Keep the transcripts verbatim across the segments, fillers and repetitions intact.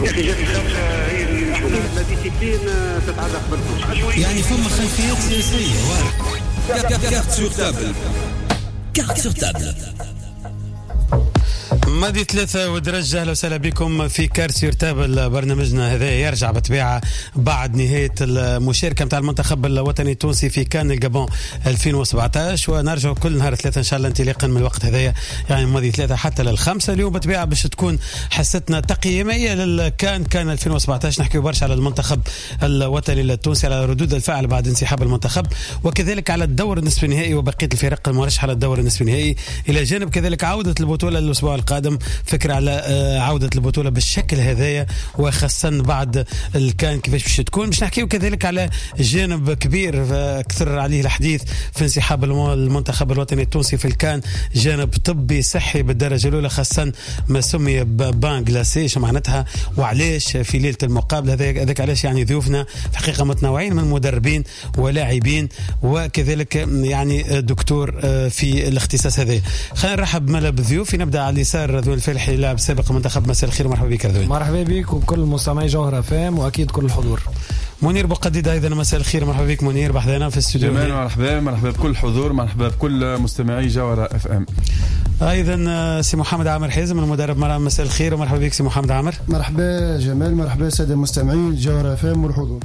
يا اخي جات الخمسة هي la discipline تتعلق بالكل، يعني فما خلفيات سياسية. Cartes sur table، cartes sur table. ماضي ثلاثة ودرجة. أهلا وسهلا بكم في cartes sur table. برنامجنا هذا يرجع بطبيعة بعد نهاية المشاركة نتاع المنتخب الوطني التونسي في كان الجابون ألفين وسبعطاش، ونرجع كل نهار ثلاثة إن شاء الله انطلاقا من الوقت هذايا، يعني ماضي ثلاثة حتى للخمسة. اليوم بطبيعة باش تكون حصتنا تقييمية للكان كان ألفين وسبعطاش. نحكي برشا على المنتخب الوطني التونسي، على ردود الفعل بعد انسحاب المنتخب، وكذلك على الدور النصف النهائي وبقية الفرق المرشحة للدور النصف النهائي، إلى جانب كذلك عودة البطولة الأسبوع القادم. فكرة على عودة البطولة بالشكل هذايا، وخاصة بعد الكان كيفاش باش تكون. باش نحكيو كذلك على جانب كبير كثر عليه الحديث في انسحاب المنتخب الوطني التونسي في الكان، جانب طبي صحي بالدرجة الأولى، خاصة ما سمي bain glacé، شو معناتها وعلاش في ليلة المقابلة. هذاك علاش يعني ضيوفنا في حقيقة متنوعين من مدربين ولاعبين وكذلك يعني دكتور في الاختصاص هذا. خلينا نرحب ملا بالضيوف. نبدأ على اليسار رضوان الفالحي، لاعب سابق منتخب. مساء الخير ومرحبا بك رضوان. مرحبا بك وبكل مستمعي جوهرة فام واكيد كل الحضور. منير بوقديد ايضا مساء الخير، مرحبا بك منير بحذانا في الاستوديو. مرحبا مرحبا بكل الحضور، مرحبا بكل مستمعي جوهرة اف ام. ايضا سي محمد عامر حازم المدرب مرام، مساء الخير ومرحبا بك سي محمد عامر. مرحبا جمال، مرحبا السادة المستمعين جوهرة اف ام والحضور.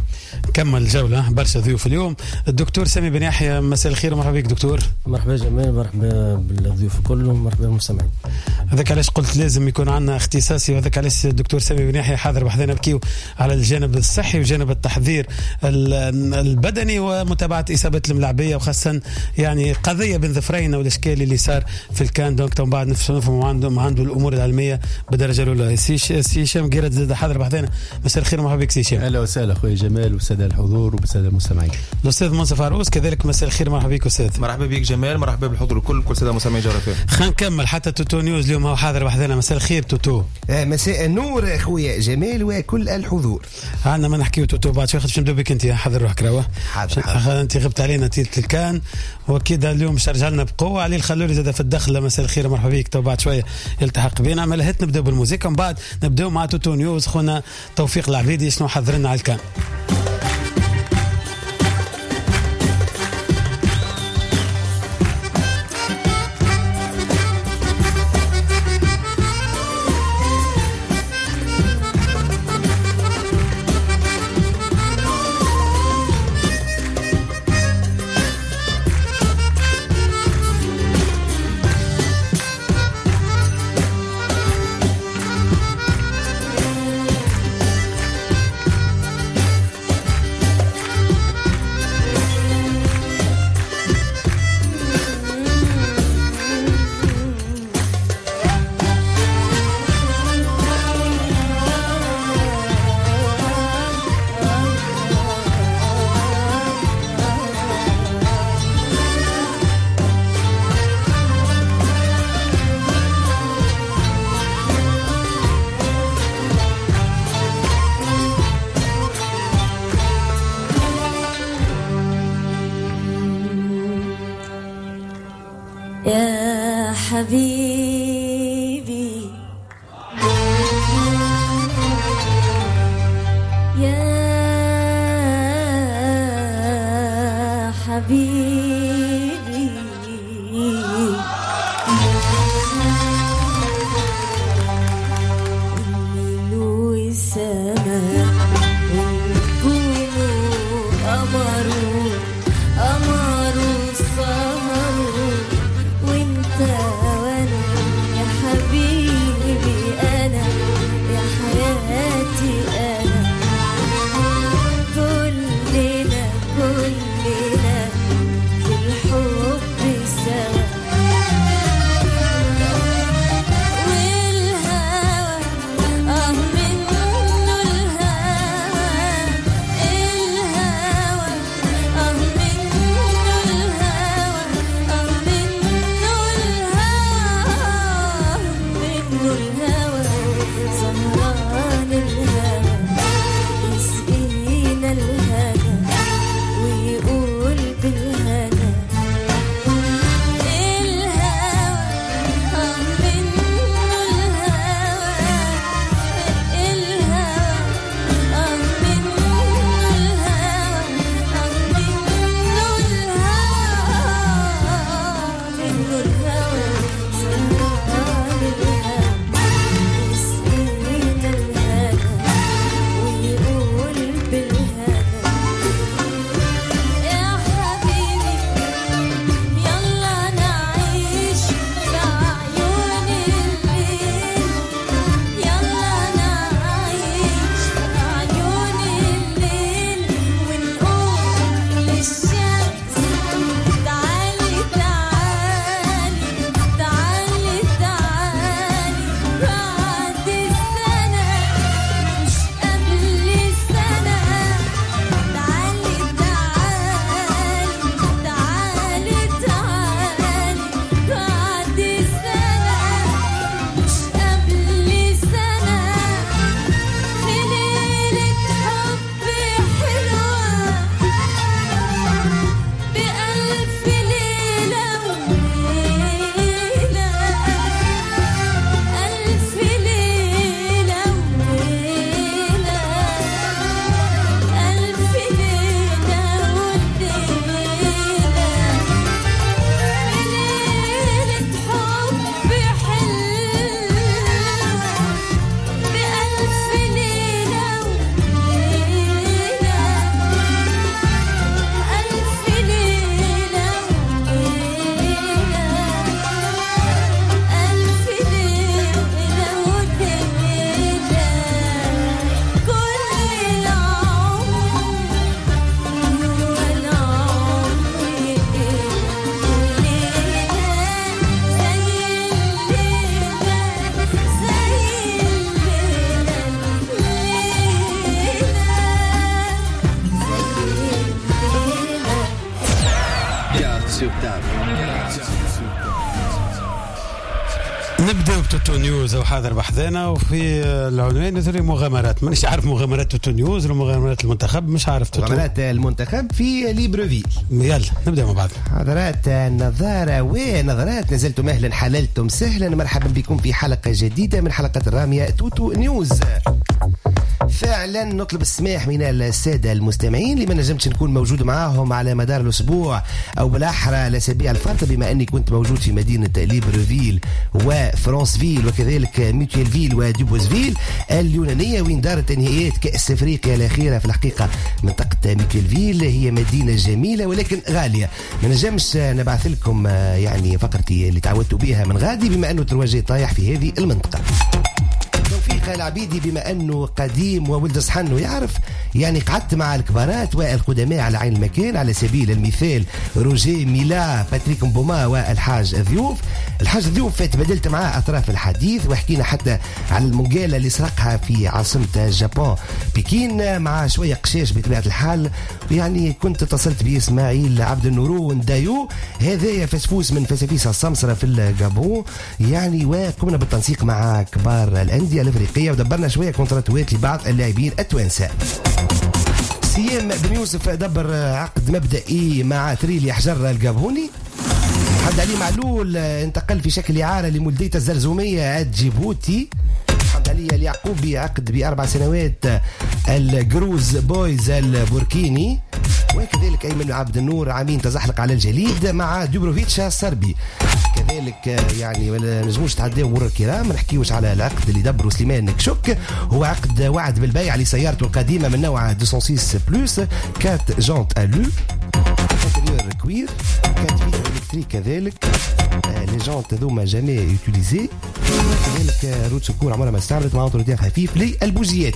كمل جولة برشا ضيوف اليوم. الدكتور سامي بن يحيى مساء الخير ومرحبا بك دكتور. مرحبا جمال، مرحبا بالضيوف الكل ومرحبا بالمستمعين. هذاك علاش قلت لازم يكون عندنا اختصاصي، وهذاك علاش الدكتور سامي بن يحيى حاضر بحذانا نبكيو على الجانب الصحي وجانب التحضير البدني ومتابعة اصابه الملاعبيه، وخاصة يعني قضية بن ظفرين والاشكال اللي صار في الكان. donc تو بعد نفهموا عنده عنده الامور العلمية بالدرجة الاولى. سي سي هشام قيرد زاد حاضر بحذانا، مساء الخير ومرحبا بك سي هشام. اهلا وسهلا خويا جمال والسادة الحضور والسادة المستمعين. الاستاذ منصف عروس كذلك مساء الخير، مرحبا بك استاذ. مرحبا بك جمال، مرحبا بالحضور الكل كل ساده مستمعي جوهرة اف ام. خلينا نكمل حتى توتو نيوز اليوم هو حاضر بحذانا. مساء الخير توتو. مساء النور خويا جمال وكل الحضور. عندنا ما نحكيو توتو بعد شوي، باش نبداو بك انت. حاضر روحك راه حاضر، انت غبت علينا تيلة الكان واكيد اليوم باش ترجع لنا بقوة. علي الخلولي زاد في الدخلة، مساء الخير مرحبا بك. تو بعد شوية يلتحق بينا. ملهت نبداو بالموسيقى ومن بعد نبداو مع توتو نيوز. خونا توفيق العبيدي شنو حضر لنا على الكان. يا حبيبي يا حبيبي الليل والسماء والنجوم قمر قمر السهر وانت وانا يا حبيبي انا يا حياتي انا كلنا كلنا في الحب سوا والهوى اه منه الهوى توتو نيوز وحاضر بحذانا، وفي العنوان يظهر مغامرات، مانيش عارف مغامرات توتو نيوز ولا مغامرات المنتخب، مش عارف توتو. مغامرات المنتخب في ليبروفيل. يلا نبدا مع بعض. حضرات النظارة ونظرات، نزلتم أهلا حللتم سهلا، مرحبا بكم في حلقة جديدة من حلقة الرامية توتو نيوز. فعلا نطلب السماح من السادة المستمعين اللي ما نجمتش نكون موجود معاهم على مدار الأسبوع أو بالأحرى الأسابيع الفارطة، بما أني كنت موجود في مدينة ليبروفيل وفرانسفيل وكذلك ميتيلفيل ودوبوزفيل اليونانية، وين دارت نهائيات كأس أفريقيا الأخيرة. في الحقيقة منطقة ميتيلفيل هي مدينة جميلة ولكن غالية، ما نجمش نبعث لكم يعني فقرتي اللي تعودتوا بها من غادي، بما أنه ترواجي طايح في هذه المنطقة. توفيق العبيدي بما أنه قديم وولد صحن ويعرف، يعني قعدت مع الكبارات والقدماء على عين المكان، على سبيل المثال روجي ميلا، باتريك مبوما والحاج ضيوف. الحاج ضيوف تبادلت معاه أطراف الحديث وحكينا حتى على المونجالة اللي سرقها في عاصمة اليابان بكين مع شوية قشاش بطبيعة الحال. يعني كنت اتصلت بإسماعيل عبد النورو ندايو، هذا فسفوس من فسافيس السمسرة في الجابون، يعني وقمنا بالتنسيق مع كبار الأندية الأفريقية ودبرنا شوية كونتراتوات لبعض اللاعبين التوانسة. سيام بن يوسف دبر عقد مبدئي مع تريلي حجر الجابوني. محمد علي معلول انتقل في شكل إعارة لمولدية الزرزومية الجيبوتي. محمد علي اليعقوبي عقد بأربع سنوات الجروز بويز البوركيني. وكذلك أيمن عبد النور عامين تزحلق على الجليد مع دوبروفيتش الصربي. كذلك يعني ما نجموش نتعداو مرور الكرام ما نحكيوش على العقد اللي دبروا سليمان كشك، هو عقد وعد بالبيع لسيارته القديمة من نوع مئتين وستة plus quatre jantes alu intérieur cuir quatre vitres électriques، كذلك les jantes هذوما jamais utilisées، كذلك roue de secours عمرها ما استعملت مع entretien خفيف للبوجيات.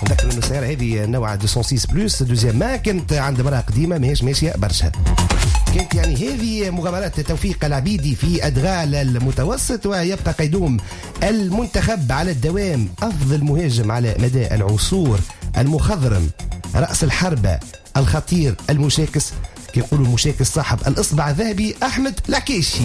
نذكر انه السيارة هذه نوع مئتين وستة plus deuxième main كانت عند مرأة قديمة ماهيش ماشية برشا. كانت يعني هذه مغامرات توفيق العبيدي في أدغال المتوسط. ويبقى قيدوم المنتخب على الدوام أفضل مهاجم على مدى العصور، المخضرم، رأس الحربة، الخطير، المشاكس، كيقولوا المشاكس صاحب الإصبع الذهبي أحمد العكيشي.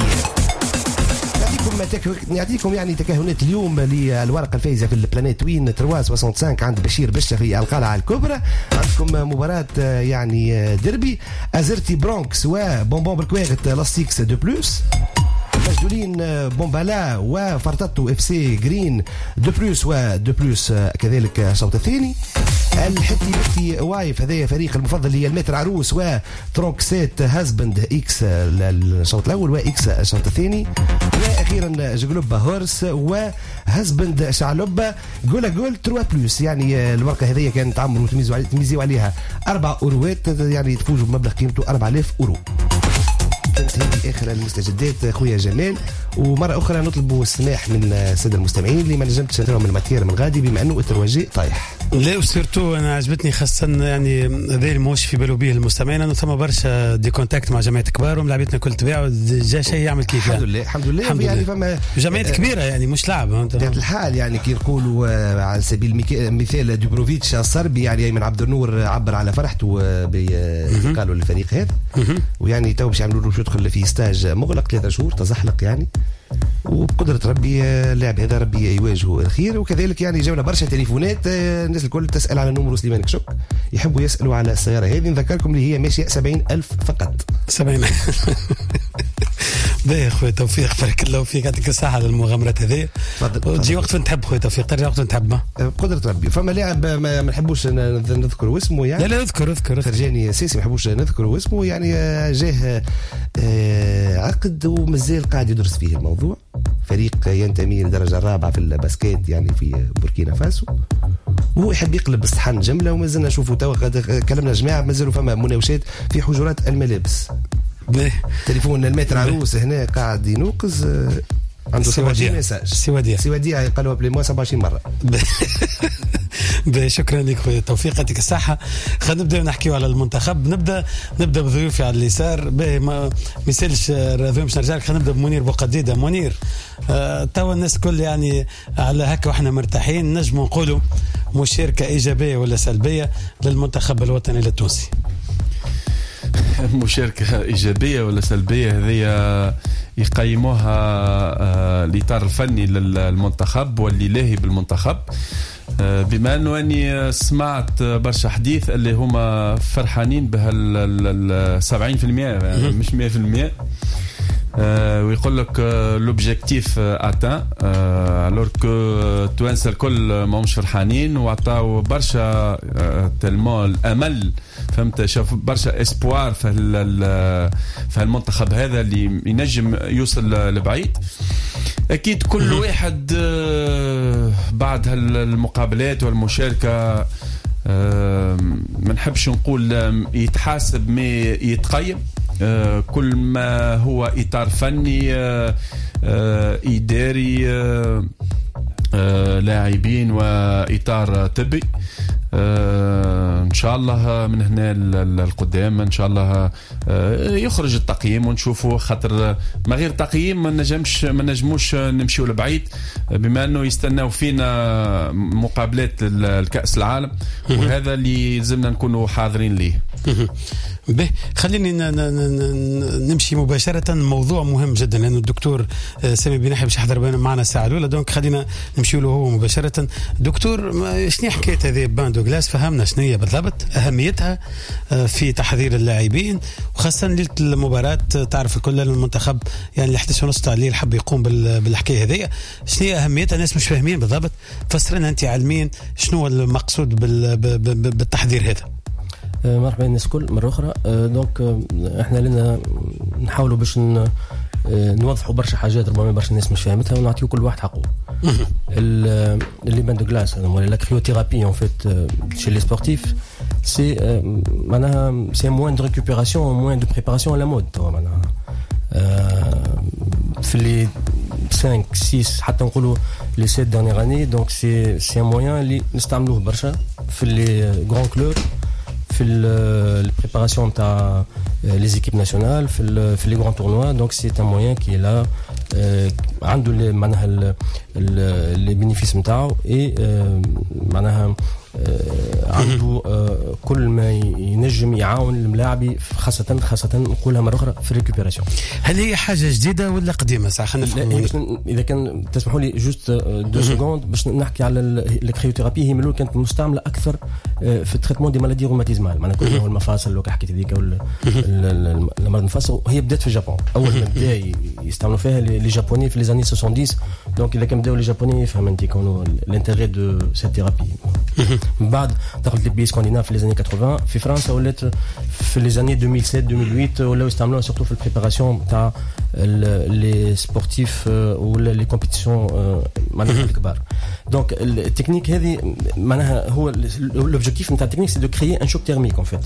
نعطيكم تك... نعطيكم يعني تكهنات اليوم للورقة الفائزة في البلانيت وين ثلاثمية وخمسة وستين عند بشير بشة في القلعة الكبرى. عندكم مباراة يعني ديربي أزرتي برونكس وبونبون بالكواغت لاستيكس دو بلوس، مجدولين بومبالا وفرتاتو اف سي جرين دو بلوس ودو بلوس كذلك الشوط الثاني. الحتي بتي وايف هذا فريق المفضل للمتر عروس وترونكسيت هازبند اكس الشوط الاول واكس الشوط الثاني. واخيرا جلوبا هورس وهازبند شعلوبا goal à goal ثلاثة plus. يعني الورقة هذه كانت تعمروا تميزوا عليها اربع اوروات، يعني تفوزوا بمبلغ قيمته أربعة آلاف اورو. كانت هذه اخر المستجدات خويا جمال، ومرة اخرى نطلب السماح من السادة المستمعين اللي ما نجمتش نراهم ال matière من غادي بما انه الترواجي طايح. لا و surtout انا عجبتني خاصة يعني هذا اللي ماهوش في باله به المستمعين، انه ثم برشا des contacts مع جمعيات كبار وملاعبيتنا كل تباع جا شيء يعمل كيف. الحمد لله الحمد لله, الحمد يعني فما جمعيات كبيرة يعني مش لعب بطبيعة الحال. يعني كي نقولوا على سبيل المثال دوبروفيتش الصربي، يعني ايمن عبد النور عبر على فرحته بانتقاله للفريق هذا، ويعني تو باش يعملوا له يدخل في stage مغلق ثلاثة شهور تزحلق يعني، وبقدرة ربي اللاعب هذا ربي يواجهه الخير. وكذلك يعني جاونا برشا تليفونات، الناس الكل تسأل على numéro سليمان كشك، يحبوا يسألوا على السيارة هذه. نذكركم اللي هي ماشية سبعين ألف فقط. سبعين باهي خويا توفيق، بارك الله فيك، يعطيك الصحة على المغامرات هذه. تجي وقت تحب خويا توفيق، ترجع وقت تحب بقدرة ربي. فما لاعب ما نحبوش نذكر اسمه يعني، لا لا اذكر اذكر فرجاني سيسي ما نحبوش نذكر اسمه، يعني جاه عقد ومازال قاعد يدرس فيه الموضوع. فريق ينتمي للدرجة الرابعة في ال basket يعني في بوركينا فاسو، وهو يحب يقلب الصحن جملة، ومازلنا نشوفوا توا كلمنا جماعة مازالوا فما مناوشات في حجرات الملابس. تليفون المتر عروس هنا قاعد ينوقز، عنده سبعة وعشرين message. سي وديع سي وديع قالوا appelez-moi سبعة وعشرين مرة. شكرا لك خويا توفيق، يعطيك الصحة. خلينا نبدا نحكيو على المنتخب. نبدا نبدا بضيوفي على اليسار. باهي ما يسالش رضوان باش نرجع لك. خلينا نبدا بمنير بوقديدة. منير، آه توا الناس الكل يعني على هكا واحنا مرتاحين، نجموا نقولوا مشاركة إيجابية ولا سلبية للمنتخب الوطني التونسي؟ مشاركة إيجابية ولا سلبية هذه يقيموها الاطار الفني للمنتخب واللي لاهي بالمنتخب. بما انه اني سمعت برشا حديث اللي هما فرحانين بهال سبعين بالمية مش مية بالمية، ويقول لك l'objectif atteint، alors que التوانسة الكل ماهمش فرحانين وعطاو برشا tellement الامل، فهمت، شاف برشا espoir في في المنتخب هذا اللي ينجم يوصل لبعيد. اكيد كل واحد بعد هالمقابلات والمشاركة ما نحبش نقول يتحاسب mais يتقيم، كل ما هو إطار فني إداري لاعبين وإطار طبي. ان شاء الله من هنا للقدام ان شاء الله يخرج التقييم ونشوفوا، خاطر ما غير تقييم ما نجمش ما نجموش نمشيو لبعيد، بما انه يستناو فينا مقابلات الكأس العالم، وهذا اللي لازمنا نكونوا حاضرين ليه. به خليني نمشي مباشرة، موضوع مهم جدا لأنه الدكتور سامي بن يحيى باش يحضر معنا الساعة الأولى، donc خلينا نمشي له هو مباشرة. دكتور، شنو حكاية هذه bain de glace؟ فهمنا شنو هي بالضبط، أهميتها في تحضير اللاعبين، وخاصة ليلة المباراة. تعرف الكل المنتخب يعني الحادية ونص تاع الليل حب يقوم بالحكاية هذه، شنو هي أهميتها؟ الناس مش فاهمين بالضبط، فسر لنا أنت علميا شنو المقصود بالتحضير هذا. مرحبا الناس الكل مرة أخرى. donc احنا لنا نحاولوا باش نوضحوا برشا حاجات ربما برشا الناس مش فاهمتها، ونعطيو كل واحد حقه. les bains de glace ولا la cryothérapie en fait chez les sportifs, c'est معناها c'est moyen de récupération, moyen de préparation à la mode توا، معناها في les خمسة ستة حتى نقولوا les sept dernières années. donc c'est c'est un moyen اللي نستعملوه برشا في les grands clubs، في ال préparation تاع les équipes nationales، في في les grands tournois. donc c'est un moyen qui est là، عنده معناها les bénéfices نتاعو، et معناها عنده كل ما ينجم يعاون الملاعبي، خاصة خاصة نقولها مرة أخرى في ال récupération. هل هي حاجة جديدة ولا قديمة؟ ساعة خلينا نفهم. إذا كان تسمحوا لي juste deux secondes باش نحكي على ال cryothérapie. هي من الأول كانت مستعملة أكثر في ال traitement des maladies rhumatismales، معناها كل هو المفاصل اللي حكيت هذيك ولا المرض المفاصل. هي بدات في اليابان، أول ما بدا يستعملوا فيها les Japonais في les années سبعين. donc إذا كان بداو les Japonais يفهم أنت كونوا l'intérêt de cette thérapie. من بعد دخلت les pays scandinaves في les années ثمانين، في فرنسا ولات في les années ألفين وسبعة ألفين وثمانية ولاو يستعملوها surtout في ال préparation تاع les sportifs ولا les compétitions معناها الكبار. donc ال technique هذه معناها هو l'objectif نتاع ال technique c'est de créer un choc thermique en fait.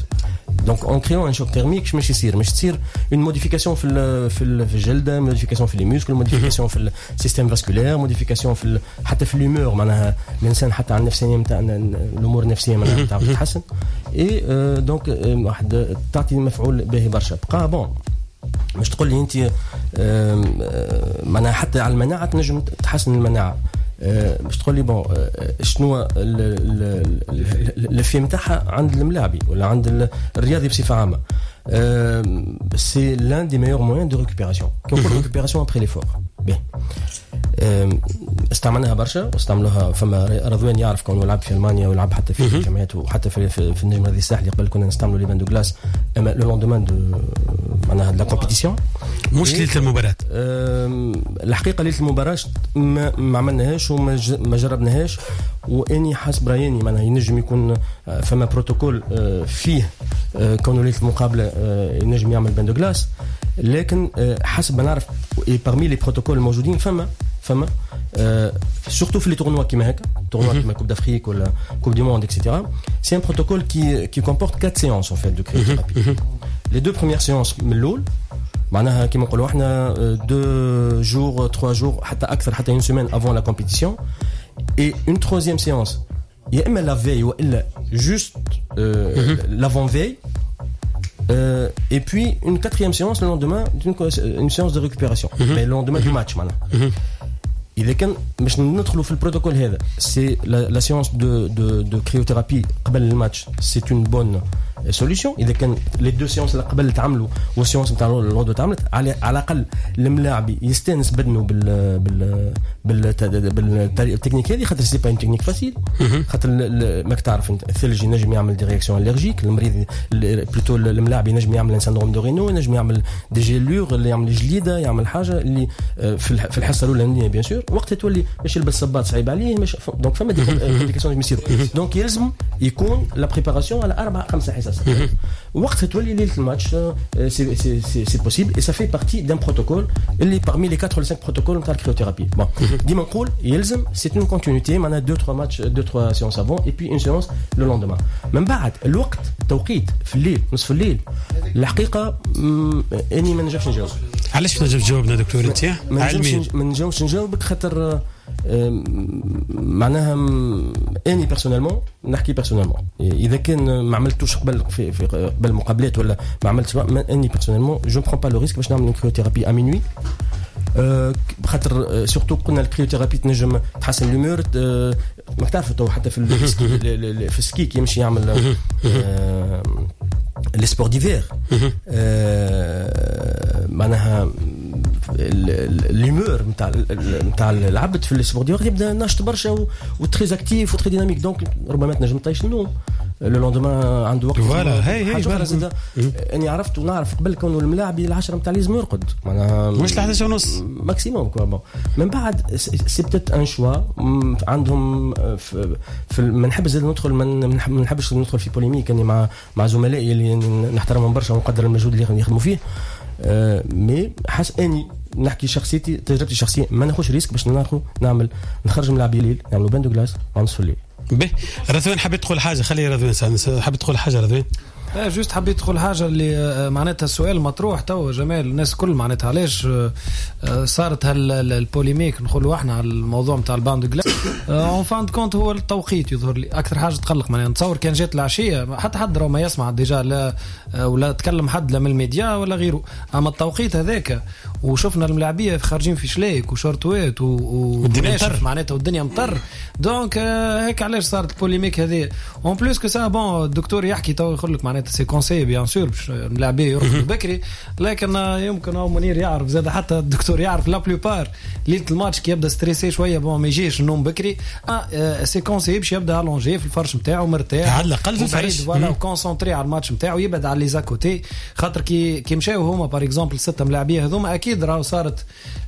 donc en créant un choc thermique مش يصير مش تصير une modification في في في الجلدة، modification في les muscles، modification في ال système vasculaire، modification في حتى في l'humeur، معناها الانسان حتى على النفسية نتاع الامور النفسية معناها نتاع تتحسن. et donc واحد تعطي مفعول باهي برشا. بقى bon مش تقول لي انت معناها حتى على المناعة تنجم تحسن المناعة، باش تقول لي bon شنو l'effet نتاعها عند الملاعبي ولا عند الرياضي بصفة عامة. c'est l'un des meilleurs moyens de récupération، كي نقول récupération après l'effort. باهي استعملناها برشا واستعملوها، فما رضوان يعرف كونه لعب في المانيا ولعب حتى في الجامعات وحتى في, في, في النجم الرياضي الساحلي. قبل كنا نستعملوا les bains de glace اما le lendemain de معناها la compétition، مش ليلة المباراة. الحقيقة ليلة المباراة ما, ما عملناهاش وما ما جربناهاش، واني حسب رايي معناها ينجم يكون فما بروتوكول فيه كونه ليلة المقابلة ينجم يعمل bain de glace، لكن حسب ما نعرف parmi les protocoles الموجودين فما فما surtout في les tournois كيما هكا، tournoi كيما Coupe d'Afrique ولا Coupe du monde et cetera. c'est un protocole qui qui comporte quatre séances en fait de cryothérapie. les deux premières séances من الاول معناها كيما نقولوا احنا deux jours trois jours حتى اكثر، حتى une semaine avant la compétition، et une troisième séance يا اما la veille والا juste l'avant-veille. Euh, et puis une quatrième séance le lendemain, une, une séance de récupération, mm-hmm. mais le lendemain mm-hmm. du match معناها. Mm-hmm. إذا كان باش ندخلوا في البروتوكول هذا، c'est la, la séance de de de cryothérapie قبل الماتش, c'est une bonne solution. اذا كان les deux séances اللي قبل تعملوا وال séance نتاع الغدوه تعملت، على على الاقل الملاعب يستانس بدنه بال بال بال بالتكنيك هذه، خاطر c'est pas une technique facile، خاطر ماك تعرف انت الثلج ينجم يعمل des réactions allergiques، المريض plutôt الملاعب ينجم يعمل syndrome de Raynaud، ينجم يعمل des gelures اللي يعمل جليده، يعمل حاجة اللي في الحصة الاولانية bien sûr وقتها تولي باش يلبس صباط صعيب عليه، مش donc فما des complications يصيروا. donc يلزم يكون la préparation على اربع خمسة حصص، وقتها تولي ليلة الماتش c'est c'est c'est possible et ça fait partie d'un protocole اللي parmi les quatre ولا خمسة protocoles نتاع ال cryothérapie. bon ديما نقول يلزم c'est une continuité، معناها deux trois matchs، deux trois séances avant et puis une séance le lendemain. من بعد الوقت توقيت في الليل نصف الليل، الحقيقة اني ما نجمش نجاوب. علاش ما تنجمش تجاوبنا دكتور انت؟ علميا ما نجمش نجاوبك خاطر معناها اني personnellement نحكي personnellement، اذا كان ما عملتوش قبل في, في قبل المقابلات ولا ما عملتش، اني personnellement je prends pas le risque باش نعمل cryothérapie à minuit، خاطر surtout قلنا ال cryothérapie تنجم تحسن l'humeur، ما تعرفوا تو حتى في في ال ski كي يمشي يعمل les sports d'hiver معناها l'humeur نتاع نتاع العبد في ال sport d'hiver يبدا ناشط برشا و très actif و très dynamique، donc ربما تنجم طيش النوم le lendemain عنده وقت. voilà هي هي زاد اني عرفت ونعرف قبل كونه الملاعب العشرة نتاع لازم يرقد، معناها مش الحداش ونص maximum quoi. bon من بعد c'est peut-être un choix عندهم في, في ما نحبش زاد ندخل، ما نحبش ندخل في polémique اني مع مع زملائي اللي نحترمهم برشا ونقدر المجهود اللي يخدموا فيه، أه mais حس اني نحكي شخصيتي تجربتي الشخصية ما ناخذش risque باش ناخذ نعمل نخرج من لاعبي الليل نعملوا bain de glace على نصف الليل. به رضوان حبيت تقول حاجة، خلي رضوان حبيت تقول حاجة. رضوان لا juste حبيت تقول حاجة اللي معناتها السؤال مطروح تو جمال الناس كل معناتها علاش صارت هال polémique نقولوا احنا على الموضوع نتاع ال bain de glace. en fin de compte هو التوقيت يظهر لي اكثر حاجة تقلق، معناها نتصور كان جات العشية حتى حد راه ما يسمع déjà لا ولا تكلم حد لا من الميديا ولا غيره، اما التوقيت هذاك وشفنا الملاعبيه خارجين في شلايك وشورتوات والدنيا مطر معناتها والدنيا مطر، donc هيك علاش صارت ال polémique هذه. en plus que ça bon الدكتور يحكي تو يقول لك معناتها c'est conseillé bien sûr باش الملاعبيه يرقدوا بكري، لكن يمكن هو منير يعرف زاد حتى الدكتور يعرف la plupart ليلة الماتش كي يبدا stressé شوية bon ما يجيش النوم بكري، c'est conseillé باش يبدا allongé في الفرش نتاعو مرتاح على الاقل في الفرش voilà و concentré على الماتش نتاعو، يبعد على les à-côtés، خاطر كي كي مشاو هما par exemple ستة ملاعبيه هذوما اكيد راهو صارت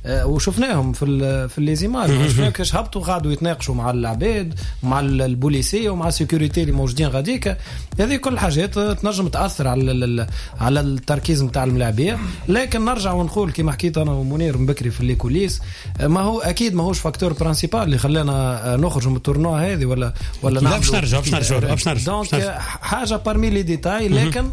وشفناهم في في les images، شفناهم كيفاش هبطوا قعدوا يتناقشوا مع العباد مع البوليسيه ومع ال sécurité اللي موجودين غاديك، هذه كل حاجات تنجم تاثر على على التركيز نتاع الملاعبيه. لكن نرجع ونقول كما حكيت انا ومنير من بكري في les coulisses، ما هو اكيد ماهوش facteur principal اللي خلانا نخرج من ال tournoi هذه ولا ولا لا باش نرجع باش نرجع باش نرجع donc حاجة parmi les détails، لكن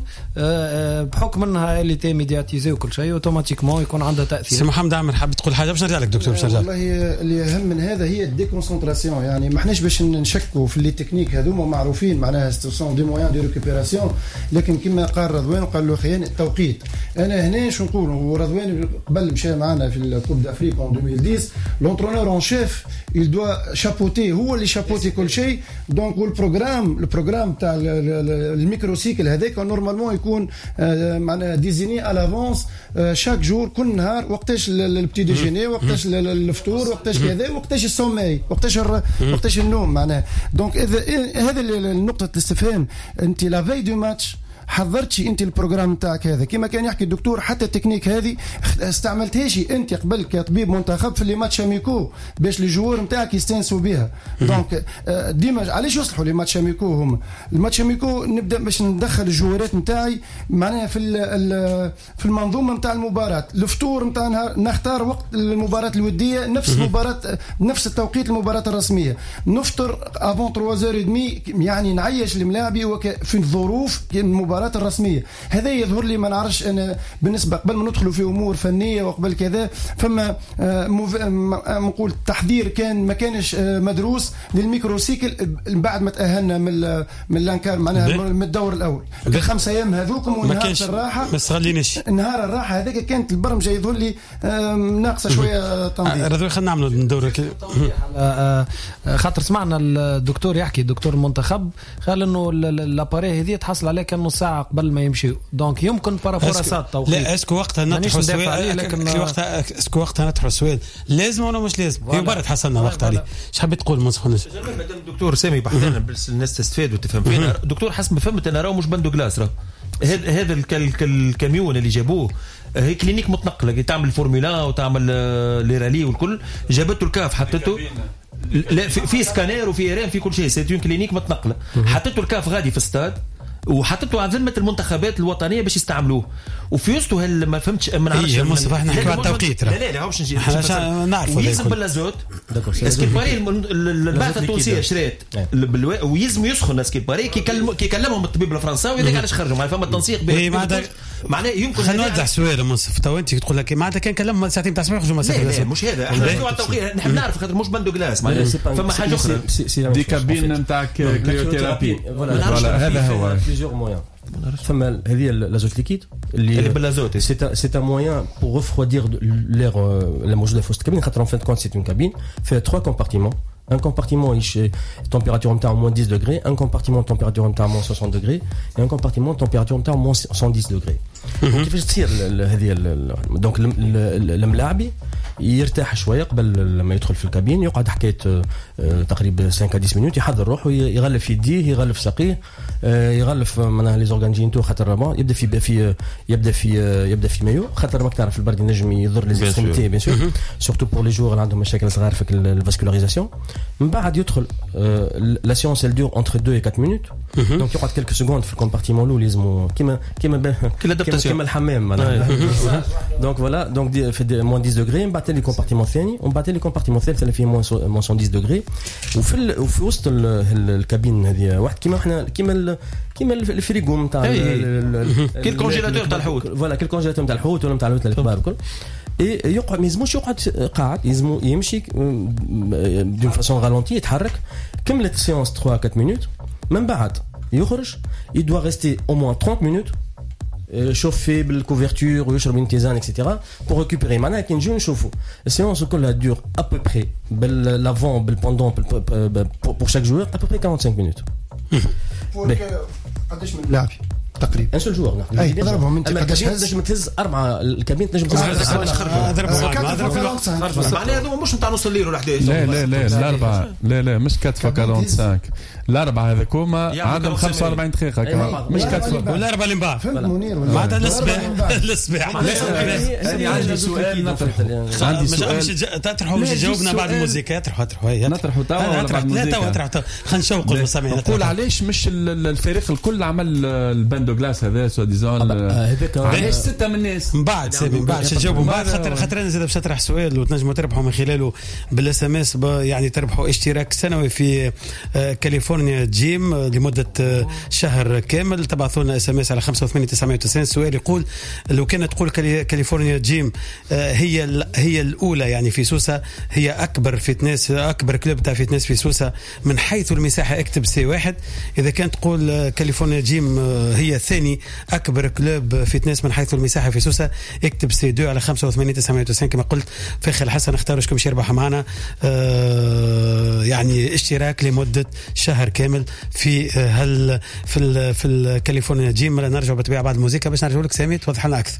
بحكم انها elle était médiatisée وكل شيء automatiquement يكون عندها تاثير. سي محمد عامر حاب تقول حاجة باش نرجع لك دكتور باش نرجع. والله اللي اهم من هذا هي ال déconcentration، يعني ما احناش باش نشكوا في les techniques هذوما معروفين معناها sont des moyens de récupération، لكن كما قال رضوان وقال له خيان التوقيت. انا هنا شو نقول، ورضوان قبل مشى معنا في ال Coupe d'Afrique en ألفين وعشرة l'entraîneur en chef il doit chapeauter، هو اللي chapeauter كل شيء. donc وال programme ال programme تاع ال microcycle هذاك normalement يكون معناها désigné à l'avance chaque jour، كل نهار وقتاش ال petit déjeuner، وقتاش الفطور، وقتاش كذا، وقتاش ال sommeil، وقتاش وقتاش النوم معناها. donc اذا هذا النقطة الاستفهام، انت la veille du match حضرتش انت ال programme تاعك هذا كما كان يحكي الدكتور، حتى التكنيك هذه استعملتهاش انت قبل كطبيب منتخب في les matchs amicaux باش les joueurs نتاعك يستانسوا بها. donc ديما علاش يصلحوا les matchs amicaux؟ هما ال matchs amicaux نبدا باش ندخل الجوارات نتاعي معناها في في المنظومة نتاع المباراة، الفطور نتاع نختار وقت المباراة الودية نفس مباراة نفس التوقيت المباراة الرسمية، نفطر avant ثلاثة وثلاثين يعني نعيش الملاعبي في الظروف المباراة الرسمية. هذا يظهر لي ما نعرفش انا بالنسبة قبل ما ندخلوا في امور فنية وقبل كذا فما نقول تحضير كان ما كانش مدروس لل microcycle بعد ما تاهلنا من من l'encar معناها من الدور الاول الخمس ايام هذوكم ونهار الراحة ما استغليناش نهار الراحة هذاك كانت البرمجة يظهر لي ناقصه شوية تنظيم. رضوان خلينا نعملوا ندور خاطر سمعنا الدكتور يحكي الدكتور المنتخب قال انه l'appareil هذه تحصل عليه كان نص ساعة ساعة قبل ما يمشيو، donc يمكن par rapport à ça التوقيت. لا est-ce que وقتها نطرحوا السؤال، لكن وقتها est-ce que وقتها نطرحوا السؤال لازم ولا مش لازم؟ هي برد حصلنا وقت عليه. اش حبيت تقول منصف؟ مادام الدكتور سامي بحثنا الناس تستفاد وتفهم فينا. دكتور حسب ما فهمت انا راهو مش bain de glace، راه هذا هذا الكاميون اللي جابوه هي clinique متنقله تعمل فورمولا وتعمل les rallyes والكل، جابته الكاف حطته لا في سكانير وفي IRM في كل شيء، c'est une clinique متنقله، حطته الكاف غادي في الستاد وحطته على ذمه المنتخبات الوطنية باش يستعملوه. وفي وسطه هل ما فهمتش ما نعرفش ايه المصطفى احنا نحكيو على التوقيت لا لا لا باش نجي نعرفوا ويلزم بال l'azote à ce qu'il paraît البعثة التونسية شرات ويلزم يسخن à ce qu'il paraît كي كيكلمهم الطبيب الفرنساوي هذاك علاش خرجوا معناها فما تنسيق بين معناها يمكن. خلينا نوضح سؤال منصف تو انت تقول لك معناتها كان كلمهم ساعتين تاع الصباح يخرجوا مسافة. لا مش هذا، احنا نحكيو على التوقيت، نحب نعرف خاطر مش bain de glace معناها فما حاجة اخرى des cabines نتاع cryothérapie. voilà هذا هو plusieurs moyens. فما هذه l'azote liquide اللي بال azote c'est un moyen pour refroidir l'air اللي موجودة في وسط الكابين، خاطر en fin de compte c'est une cabine فيها trois compartiments. Un compartiment température نتاع moins dix degrés, un compartiment température نتاع moins soixante degrés et un compartiment température نتاع moins cent dix degrés. كيفاش تصير هذه؟ donc الملاعبي يرتاح شوية قبل لما يدخل في الكابين، يقعد حكاية تقريبا خمسة عشر minutes يحضر روحه، يغلف يديه، يغلف ساقيه، يغلف معناها les organes génitaux، خاطر يبدا في في يبدا في يبدا في مايو، خاطر ماك تعرف البرد ينجم يضر les extrémités bien sûr، surtout pour les joueurs اللي عندهم مشاكل صغار في ال vascularisation. من بعد يدخل la séance elle dure entre deux et quatre minutes، donc يقعد quelques secondes في ال compartiment الاول لازم كيما كيما كيما الحمام معناها. donc voilà donc في moins dix degrés، من بعد les compartiments الثاني، ومن بعد les compartiments الثالث اللي فيه moins cent dix degrés. وفي وفي وسط الكابين هذه واحد كيما احنا كيما كيما الفريغو نتاع كي ال congélateur تاع الحوت، voilà كي ال congélateur نتاع الحوت ولا نتاع الحوت الكبار الكل. يقعد ما يلزموش يقعد قاعد، يلزمو يمشي d'une façon ralentie، يتحرك. كملت ال séance ثلاثة أربعة minutes، من بعد يخرج il doit rester au moins trente minutes chauffé بال couverture ويشرب une tisane et cetera pour récupérer. معناها كي نجيو نشوفوا ال séance كلها dure à peu près بال l'avant بال pendant pour chaque joueur à peu près quarante-cinq minutes. قداش من لاعب تقريبا؟ un seul joueur. اي ضربهم انت قداش تنجم تهز اربعة الكابين، تنجم تهز اربعة، معناها هذوما مش نتاع نص الليل ولا إحداش. لا لا لا الاربعة لا لا مش أربعة خمسة وأربعين، الاربعة هذوكما عندهم خمسة وأربعين دقيقة مش أربعة والاربعة اللي من بعد معناتها للصباح للصباح. انا عندي سؤال نطرحه، عندي سؤال تطرحه مش جاوبنا بعد الموسيقى. اطرحوا اطرحوا نطرحوا توا ولا بعد الموسيقى؟ لا توا اطرحوا، خلينا نشوقوا المستمعين. نقول علاش مش الفريق الكل عمل ال bain de glace هذا soi-disant؟ علاش ستة من الناس؟ من بعد سامي، من بعد تجاوبوا من بعد، خاطر خاطر انا زاد باش نطرح سؤال وتنجموا تربحوا من خلاله بال SMS، يعني تربحوا اشتراك سنوي في كاليفورنيا جيم لمدة شهر كامل. تبعثوا لنا SMS على خمسة وثمانين تسعمية وتسعين. السؤال يقول لو كانت تقول كاليفورنيا جيم هي هي الاولى يعني في سوسة، هي اكبر fitness، اكبر club تاع fitness في سوسة من حيث المساحة، اكتب C واحد. اذا كانت تقول كاليفورنيا جيم هي ثاني اكبر club fitness من حيث المساحة في سوسة، اكتب C اثنين على خمسة وثمانين تسعمية وتسعين. كما قلت في اخر الحصة نختاروا شكون باش يربح معنا آه يعني اشتراك لمدة شهر كامل في هل في ال في الكاليفورنيا جيم. نرجع بالطبيعة بعد الموسيقى باش نرجعوا لك سامي توضح لنا اكثر.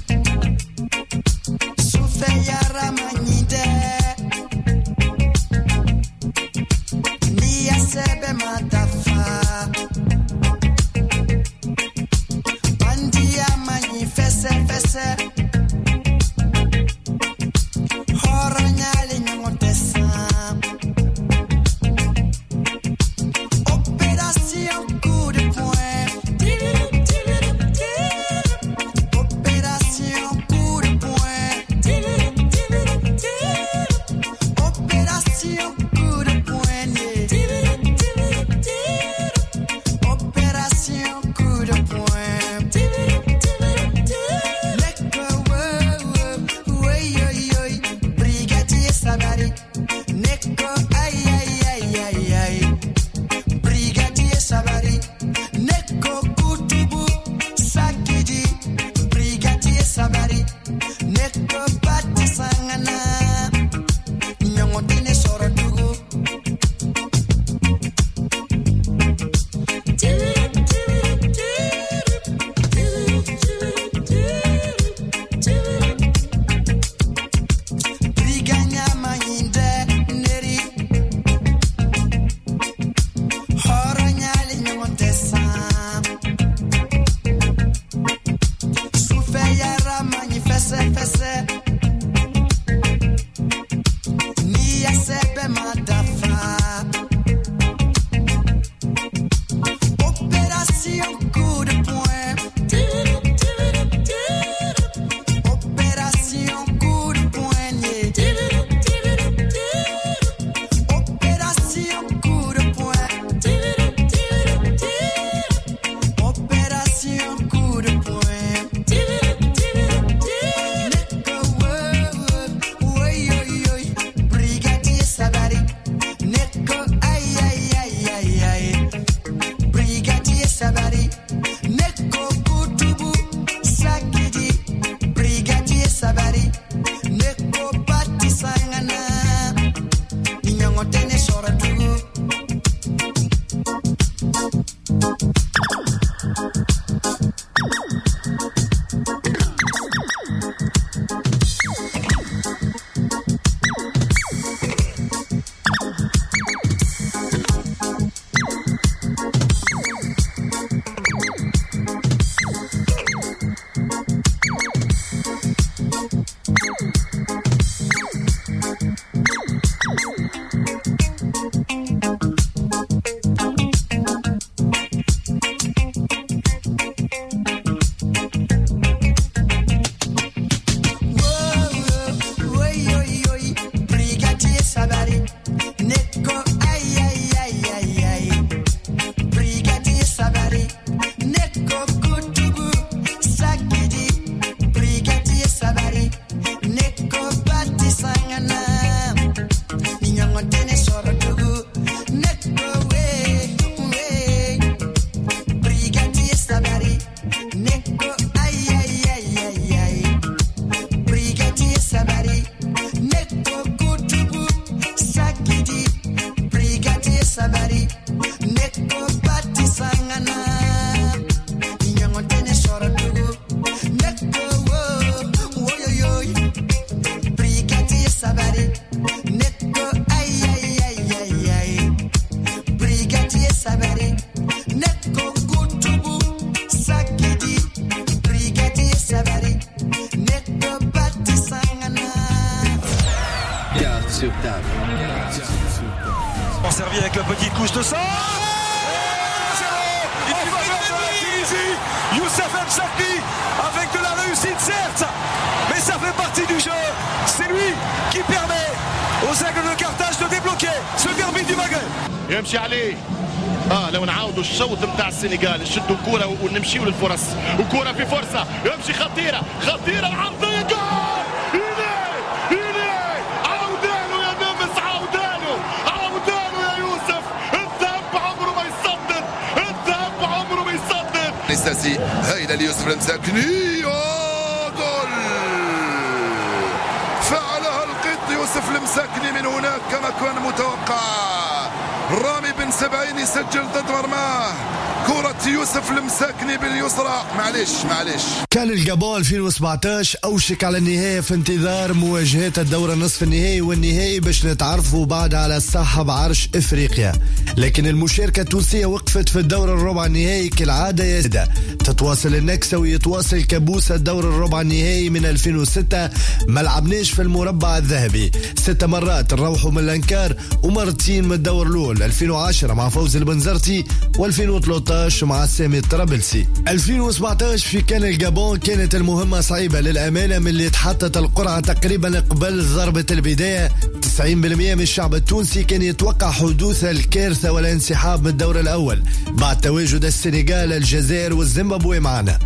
Thank you. centre. En faveur de la Tunisie, Youssef Msakni avec de la réussite certes, mais ça fait partie du jeu. C'est lui qui permet aux Aigles de Carthage de débloquer ce derby du Maghreb. يمشي عليه اه لو نعاودوا الشوط نتاع السنغال، نشدوا كورة ونمشيوا للفرص، وكوره في فرصة يمشي خطيرة خطيرة، العرضية جول! إليه إليه عوداله يا نمس، عوداله عوداله يا يوسف. الذهب عمره ما يصدد، الذهب عمره ما يصدد. نستاسي هايلة ليوسف المساكني، جول! فعلها القط يوسف المساكني من هناك كما كان متوقع. رامي بن سبعين يسجل ضد مرماه، كرة يوسف المساكني باليسرى. معلش معلش. كان الجابون ألفين وسبعطاش أوشك على النهاية في انتظار مواجهات الدور النصف النهائي والنهائي باش نتعرفوا بعد على صاحب عرش إفريقيا، لكن المشاركة التونسية وقفت في الدور الربع النهائي كالعادة يا سادة. تتواصل النكسة ويتواصل كابوس الدور الربع النهائي من ألفين وستة، ما لعبناش في المربع الذهبي ست مرات، نروحوا من الانكار ومرتين من الدور الأول، ألفين وعشرة مع فوز البنزرتي وألفين وثلاطاش مع سامي الطرابلسي. ألفين وسبعطاش في كان الجابون كانت المهمة صعيبة للأمانة، من اللي تحطت القرعة تقريبا قبل ضربة البداية. تسعين بالمئة من الشعب التونسي كان يتوقع حدوث الكارثة والانسحاب من الدور الأول بعد تواجد السنغال، الجزائر والزيمبابوي معنا.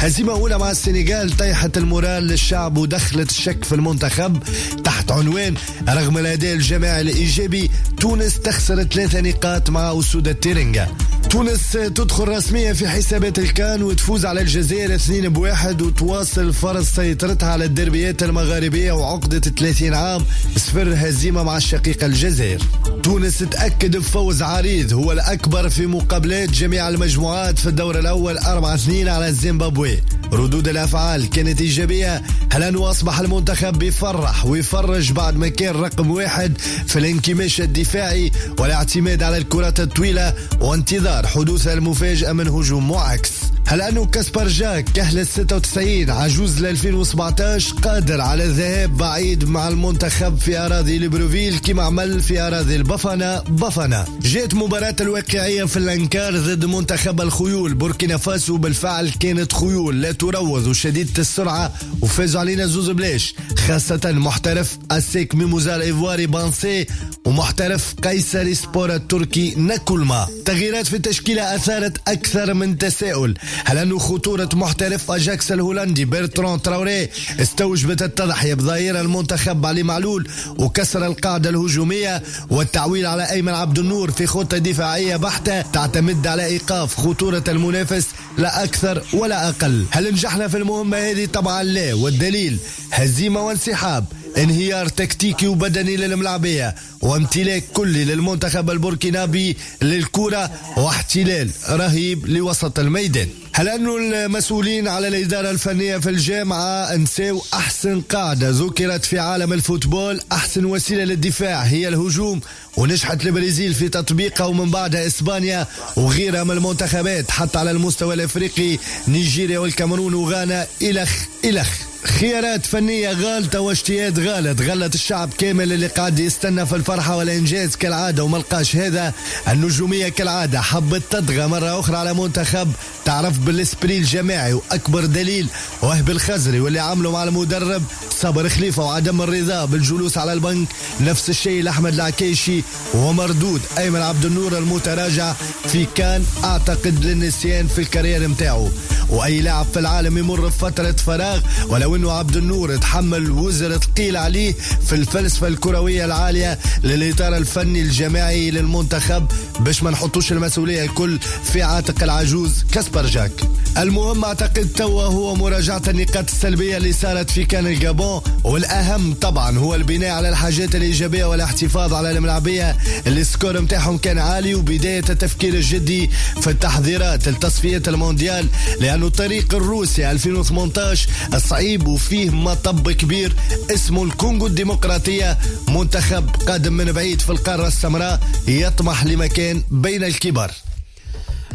هزيمة أولى مع السنغال طيحت ال moral للشعب ودخلت الشك في المنتخب تحت عنوان رغم الأداء الجماعي الإيجابي تونس تخسر ثلاثة نقاط مع أسود التيرنجا. تونس تدخل رسميا في حسابات الكان وتفوز على الجزائر اثنين بواحد وتواصل فرض سيطرتها على الدربيات المغاربية وعقدة ثلاثين عام صفر هزيمة مع الشقيقة الجزائر. تونس تأكد بفوز عريض هو الأكبر في مقابلات جميع المجموعات في الدور الأول أربعة اثنين على الزيمبابوي. ردود الأفعال كانت إيجابية، هل أنه أصبح المنتخب بيفرح ويفرج بعد ما كان رقم واحد في الانكماش الدفاعي والاعتماد على الكرات الطويلة وانتظار حدوث المفاجأة من هجوم معاكس. هل أنه كاسبر جاك كهل ستة وتسعين عجوز ل ألفين وسبعطاش قادر على الذهاب بعيد مع المنتخب في أراضي ليبروفيل كما عمل في أراضي البافانا بافانا. جاءت مباراة الواقعية في الأنكار ضد منتخب الخيول بوركينا فاسو، بالفعل كانت خيول لا تروض وشديدة السرعة وفازوا علينا زوز بلاش، خاصة محترف أسيك ميموزا الإيفواري بانسي ومحترف قيصري سبور التركي ناكولما. تغييرات في التشكيلة أثارت أكثر من تساؤل، هل أنه خطورة محترف أجاكس الهولندي برتران تراوري استوجبت التضحية بظهير المنتخب علي معلول وكسر القاعدة الهجومية والتعويل على أيمن عبد النور في خطة دفاعية بحتة تعتمد على إيقاف خطورة المنافس لا أكثر ولا أقل. هل نجحنا في المهمة هذه؟ طبعا لا، والدليل هزيمة وانسحاب، انهيار تكتيكي وبدني للملاعبية وامتلاك كلي للمنتخب البوركينابي للكرة واحتلال رهيب لوسط الميدان. هل أنه المسؤولين على الإدارة الفنية في الجامعة نساو أحسن قاعدة ذكرت في عالم ال football، أحسن وسيلة للدفاع هي الهجوم، ونجحت البرازيل في تطبيقها ومن بعدها إسبانيا وغيرها من المنتخبات حتى على المستوى الأفريقي نيجيريا والكاميرون وغانا إلخ إلخ. خيارات فنية غالطة واجتهاد غلط غلط الشعب كامل اللي قاعد يستنى في الفرحة والإنجاز كالعادة وما لقاش هذا. النجومية كالعادة حبت تطغى مرة أخرى على منتخب تعرف بال esprit الجماعي، وأكبر دليل وهب الخزري واللي عمله مع المدرب صابر خليفة وعدم الرضا بالجلوس على البنك، نفس الشيء لأحمد العكيشي ومردود أيمن عبد النور المتراجع في كان أعتقد للنسيان في ال carrière متاعه. وأي لاعب في العالم يمر بفترة فراغ، ولو أنه عبد النور تحمل وزر ثقيل عليه في الفلسفة الكروية العالية للإطار الفني الجماعي للمنتخب باش ما نحطوش المسؤولية الكل في عاتق العجوز كاسبر جاك. المهم أعتقد توا هو مراجعة النقاط السلبية اللي صارت في كان الجابون، والأهم طبعا هو البناء على الحاجات الإيجابية والاحتفاظ على الملاعبية اللي ال score متاعهم كان عالي، وبداية التفكير الجدي في التحضيرات لتصفية المونديال، لأنه طريق الروسي ألفين وثمانية عشر صعيب وفيه مطب كبير اسمه الكونغو الديمقراطية، منتخب قادم من بعيد في القارة السمراء يطمح لمكان بين الكبار.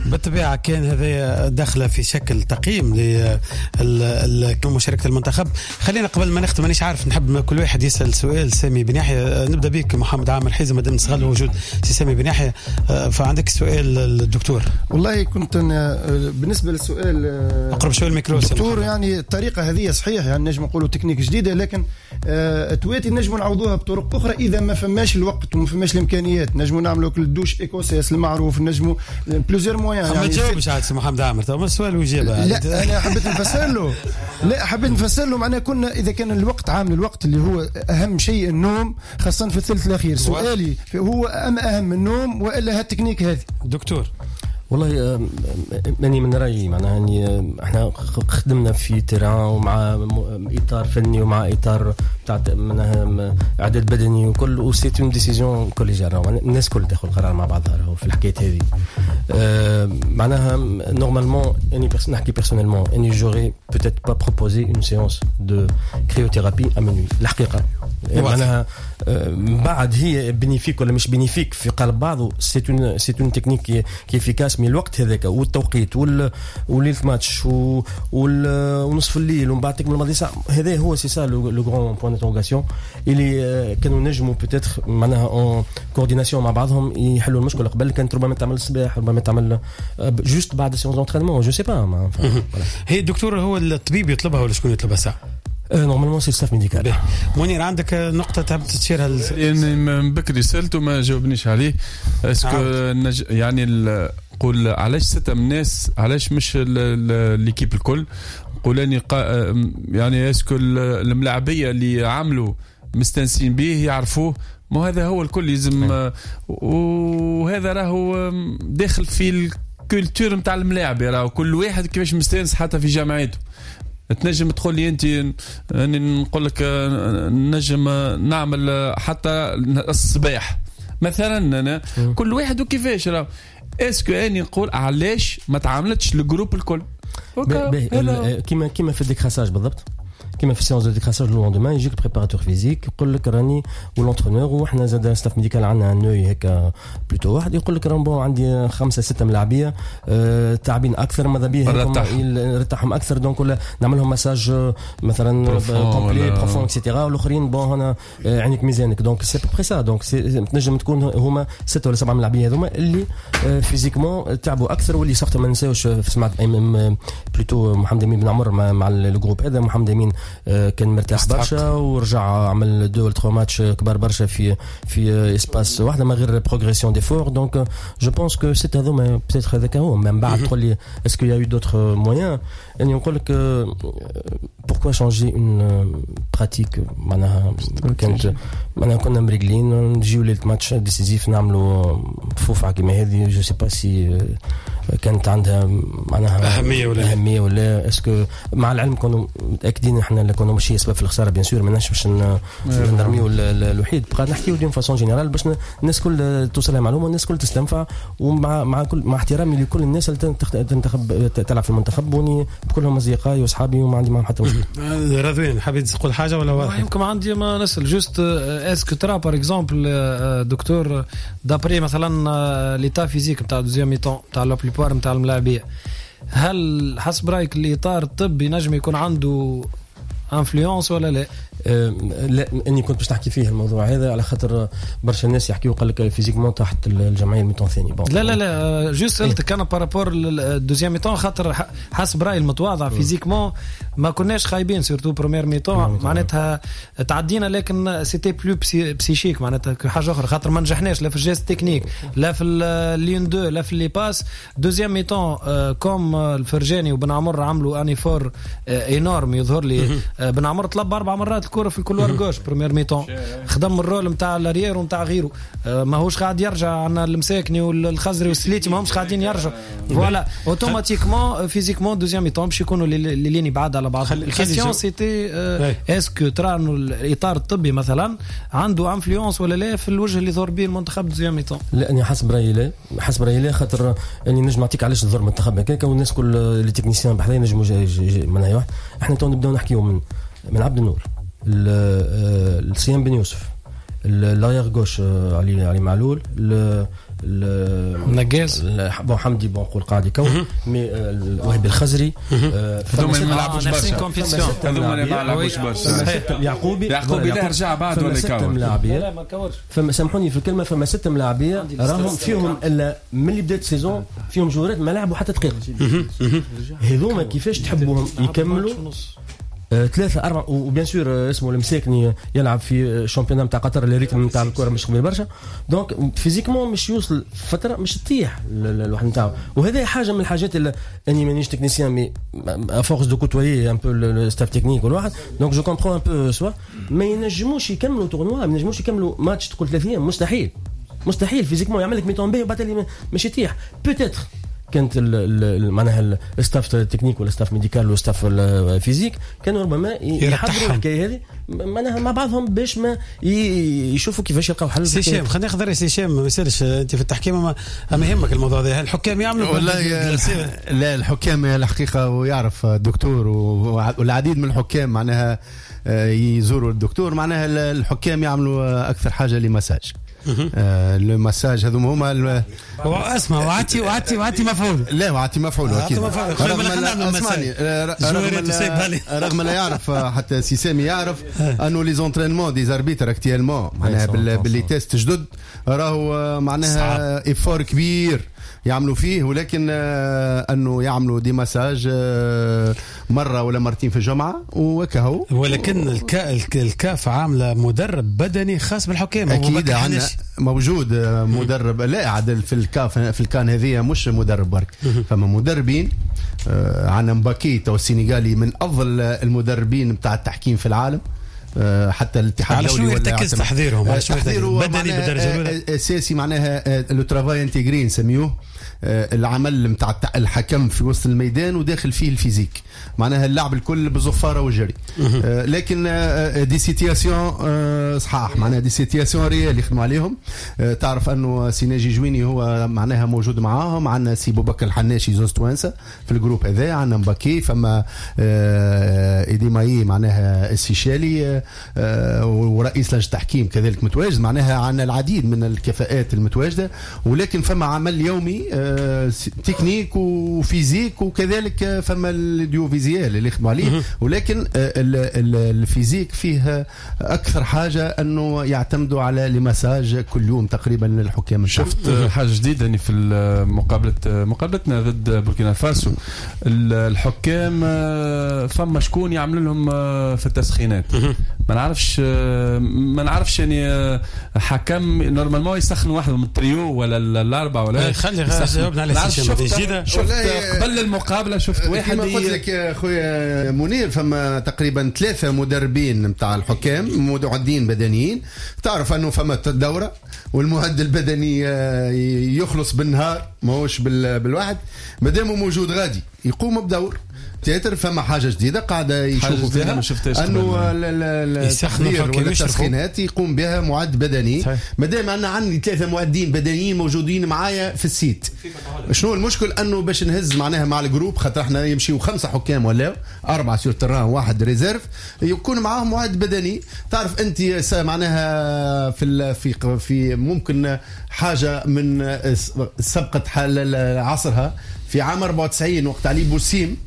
بالطبيعة كان هذا دخله في شكل تقييم لمشاركة المنتخب. خلينا قبل ما نختم، مانيش عارف، نحب كل واحد يسال سؤال سامي بن يحيى. نبدا بك محمد عامر حيزه مادام نستغل وجود سي سامي بن يحيى، فعندك سؤال للدكتور. والله كنت أنا بالنسبة للسؤال اقرب شوي الميكرو دكتور، يعني الطريقة هذه صحيح، يعني نجم نقولوا تكنيك جديدة، لكن تواتي نجم نعوضوها بطرق اخرى اذا ما فماش الوقت وما فماش الامكانيات. نجموا نعملوا ال douche écossaise المعروف، نجموا plusieurs moyens. يعني ما تجاوبش عاد سي محمد عامر، تو السؤال واجابه. لا انا حبيت نفسر له، لا حبيت نفسر له معناها كنا اذا كان الوقت عامل الوقت اللي هو اهم شيء النوم، خاصة في الثلث الاخير. سؤالي هو ام اهم النوم والا هالتكنيك هذه دكتور؟ والله ماني من رايي، معناها يعني احنا خدمنا في terrain ومع اطار فني ومع اطار تاع معناها اعداد بدني وكل، و c'est une décision collégiale، الناس كل تاخذ القرار مع بعضها في الحكاية هذه. معناها normalement اني نحكي personnellement، اني j'aurais peut-être pas proposé une séance de cryothérapie à minuit الحقيقة. معناها بعد هي bénéfique ولا مش bénéfique في قلب بعضه، c'est une c'est une technique qui est efficace، mais الوقت هذاك والتوقيت وليلة ماتش ونصف الليل ومن بعد تكمل الماضي ساعة، هذا هو c'est ça le grand point d'interrogation اللي كانوا نجموا peut-être معناها en coordination مع بعضهم يحلوا المشكلة قبل. كانت ربما تعمل الصباح، ربما تعمل juste بعد séance d'entraînement، je sais pas. هي الدكتور هو الطبيب يطلبها ولا شكون يطلبها ساعة؟ normalement c'est staff médical. منير عندك نقطة تحب تشيرها؟ يعني من بكري سالته ما جاوبنيش عليه. est-ce que نج... يعني نقول علاش ستة من الناس، علاش مش l'équipe الكل؟ نقول اني قا... يعني est-ce que الملاعبيه اللي عملوا مستنسين به يعرفوه، ما هذا هو الكل يلزم، وهذا راهو داخل في ال culture نتاع الملاعب، راهو كل واحد كيفاش مستانس حتى في جامعته. تنجم تقول لي انت اني نقول لك نجم نعمل حتى الصباح مثلا، انا كل واحد وكيفاش راه. est-ce que اني نقول علاش ما تعاملتش ال groupe الكل كيما كيما في ال décrassage بالضبط، كيما في séance de décrassage le lendemain يجيك ال préparateur physique يقول لك راني و l'entraîneur، وحنا زاد staff médical عندنا un œil هكا plutôt، واحد يقول لك راه bon عندي خمسة ستة ملاعبيه أه تعبين اكثر، ماذا بيه نرتاحهم اكثر، donc ولا نعمل لهم مساج مثلا complet profond et cetera، والاخرين bon هنا عينك ميزانك. donc c'est à peu près ça. donc تنجم تكون هما ستة ولا سبعة ملاعبيه هذوما اللي physiquement تعبوا اكثر، واللي surtout ما نساوش سمعت plutôt محمد امين بن عمر مع ال groupe هذا. محمد امين كان مرتاح برشا ورجع عمل deux ولا trois matchs كبار برشا في في espace واحدة ما غير progression d'effort. donc je pense que c'est هذوما peut-être هذاك هو. من بعد تقول لي est-ce qu'il y a eu d'autres moyens، اني نقول لك pourquoi changer une pratique. معناها كانت معناها كنا مريقلين نجيو ليلة match décisif نعملوا فوفعه كيما هذه، je sais pas si كانت عندها معناها اهمية ولا اهمية ولا est-ce que. مع العلم كانوا متاكدين احنا اللي كنا ماشي سبب في الخسارة bien sûr، ماناش باش نرميو الوحيد، بقى نحكيو d'une façon générale باش الناس كل توصلها معلومة والناس كل تستنفع، ومع مع كل مع احترامي لكل الناس اللي تنتخب تلعب في المنتخب، وني كلهم اصدقائي واصحابي وما عندي معهم حتى مشكل. رضوان حبيت تقول حاجة ولا واضح؟ يمكن عندي ما نسال juste est-ce que ترى par exemple دكتور d'après مثلا l'état physique نتاع deuxième mi-temps نتاع la plupart نتاع الملاعبيه، هل حسب رايك الاطار الطبي نجم يكون عنده influence ولا لا؟ لا، اني كنت باش نحكي فيه الموضوع هذا على خاطر برشا الناس يحكيوا قال لك physiquement تحت الجمعية ال mi-temps الثاني. لا لا لا juste سالتك انا par rapport ال deuxième mi-temps، خاطر حسب رايي المتواضع physiquement ما كناش خايبين surtout première mi-temps، معناتها تعدينا، لكن c'était plus psychique معناتها حاجة اخرى، خاطر ما نجحناش لا في ال geste technique لا في les une-deux لا في les passes. deuxième mi-temps comme الفرجاني وبن عمر عملوا un effort énorme، يظهر لي بن عمر طلب اربع مرات الكره في ال couloir gauche première mi-temps، خدم ال rôle نتاع l'arrière ونتاع غيره، ماهوش قاعد يرجع عندنا المساكني والخزري والسليتي ماهمش قاعدين يرجعوا، voilà automatiquement physiquement deuxième mi-temps باش يكونوا les lignes بعاد على بعض. ال question c'était est-ce que ترى انه الاطار الطبي مثلا عنده influence ولا لا في الوجه اللي ظهر به المنتخب deuxième mi-temps؟ لا، انا حسب رايي لا، حسب رايي لا، خاطر اني نجم نعطيك علاش ظهر المنتخب هكاك، والناس كل les techniciens بحذايا نجموا معناها واحد. احنا تو نبداو نحكيو من من عبد النور، السيام بن يوسف، l'arrière gauche علي علي معلول، نجاز bon حمدي bon نقول قاعد يكون، mais وهبي الخزري هذوما ما لعبوش برشا، هذوما ما لعبوش برشا. يعقوبي يعقوبي لا رجع بعد ولا يكور؟ لا ما كورش. فما سامحوني في الكلمة، فما ست ملاعبيه راهم فيهم الا من اللي بدات saison فيهم جورات ما لعبوا حتى دقيقة. هذوما كيفاش تحبوهم يكملوا ثلاثة أربعة؟ و bien sûr اسمه المساكني يلعب في championnat نتاع قطر، اللي rythme نتاع الكرة مش قوي برشا، donc physiquement مش يوصل فترة مش تطيح الواحد نتاعو. وهذا حاجة من الحاجات اللي اني مانيش technicien mais à force de côtoyer un peu le staff technique والواحد، donc je comprends un peu soit ما ينجموش يكملوا tournoi، ما ينجموش يكملوا ماتش تقول ثلاثين، مستحيل مستحيل physiquement يعمل لك mi-temps باهي وبعد اللي مش يطيح. peut-être كانت معناها ال staff technique ولا staff médical ولا staff physique كانوا ربما يحضروا الحكاية هذه معناها مع بعضهم باش ما يشوفوا كيفاش يلقاو حل. سي هشام خلينا ناخذ سي هشام، ما يسالش انت في التحكيم ما, ما يهمك الموضوع هذا، الحكام يعملوا والله لا الحكام الحقيقة ويعرف الدكتور والعديد من الحكام معناها يزوروا الدكتور، معناها الحكام يعملوا اكثر حاجة les massages. آه le massage هذوما هما اسمع وعتي وعتي وعتي مفعول. لا وعتي مفعول اكيد. رغم اسمعني رغم رغم لا يعرف حتى سي سامي يعرف انه les entraînements des arbitres actuellement معناها ب les tests جدد راهو معناها effort كبير يعملوا فيه، ولكن انه يعملوا des massages مرة ولا مرتين في الجمعة وكهو. ولكن الكا الكاف عامله مدرب بدني خاص بالحكام. اكيد عندنا موجود مدرب، لا عدل في الكاف في الكان هذه مش مدرب برك، فما مدربين. عندنا مباكي تو السنغالي من افضل المدربين بتاع التحكيم في العالم، حتى الاتحاد الدولي ولا يرتكز تحضيرهم على شنو بدني بالدرجة الاولى اساسي معناها le travail intégré نسميوه، العمل نتاع الحكم في وسط الميدان وداخل فيه ال physique، معناها اللعب الكل بالزفاره والجري. لكن des situations صحاح معناها des situations réelles يخدموا عليهم. تعرف انه سي ناجي جويني هو معناها موجود معاهم، عندنا سي بوبكر الحناشي زوز توانسة في ال groupe هذا، عندنا مباكي، فما ايدي ماي معناها السيشالي ورئيس لجنة التحكيم كذلك متواجد، معناها عندنا العديد من الكفاءات المتواجدة. ولكن فما عمل يومي technique و physique، وكذلك فما l'audiovisuel اللي يخدموا عليه، ولكن ال physique فيه اكثر حاجة انه يعتمدوا على les massages كل يوم تقريبا للحكام. شفت حاجة جديدة يعني في مقابله مقابلتنا ضد بوركينا فاسو، الحكام فما شكون يعمل لهم في التسخينات، ما نعرفش ما نعرفش يعني حكم normalement يسخن واحد من التريو ولا الاربعة ولا خلي جاوبنا على شفت, شفت قبل المقابلة شفت واحد كما قلت لك يا خويا منير فما تقريبا ثلاثة مدربين نتاع الحكام معدين بدنيين، تعرف انه فما دوره والمعد البدني يخلص بالنهار ماهوش بالواحد، مادام موجود غادي يقوم بدور تياتر. فما حاجة جديدة قاعدة يشوفوا فيها انه التحضير ولا التسخينات يقوم بها معد بدني، مادام انا عندي ثلاثة معدين بدنيين موجودين معايا في ال site. شنو المشكل؟ انه باش نهز معناها مع ال groupe، خاطر احنا يمشيو خمسة حكام ولا اربعة sur terrain واحد réserve، يكون معاهم معد بدني. تعرف انت معناها في في في ممكن حاجة من سبقت حال عصرها في عام أربعة وتسعين وقت علي بوسيم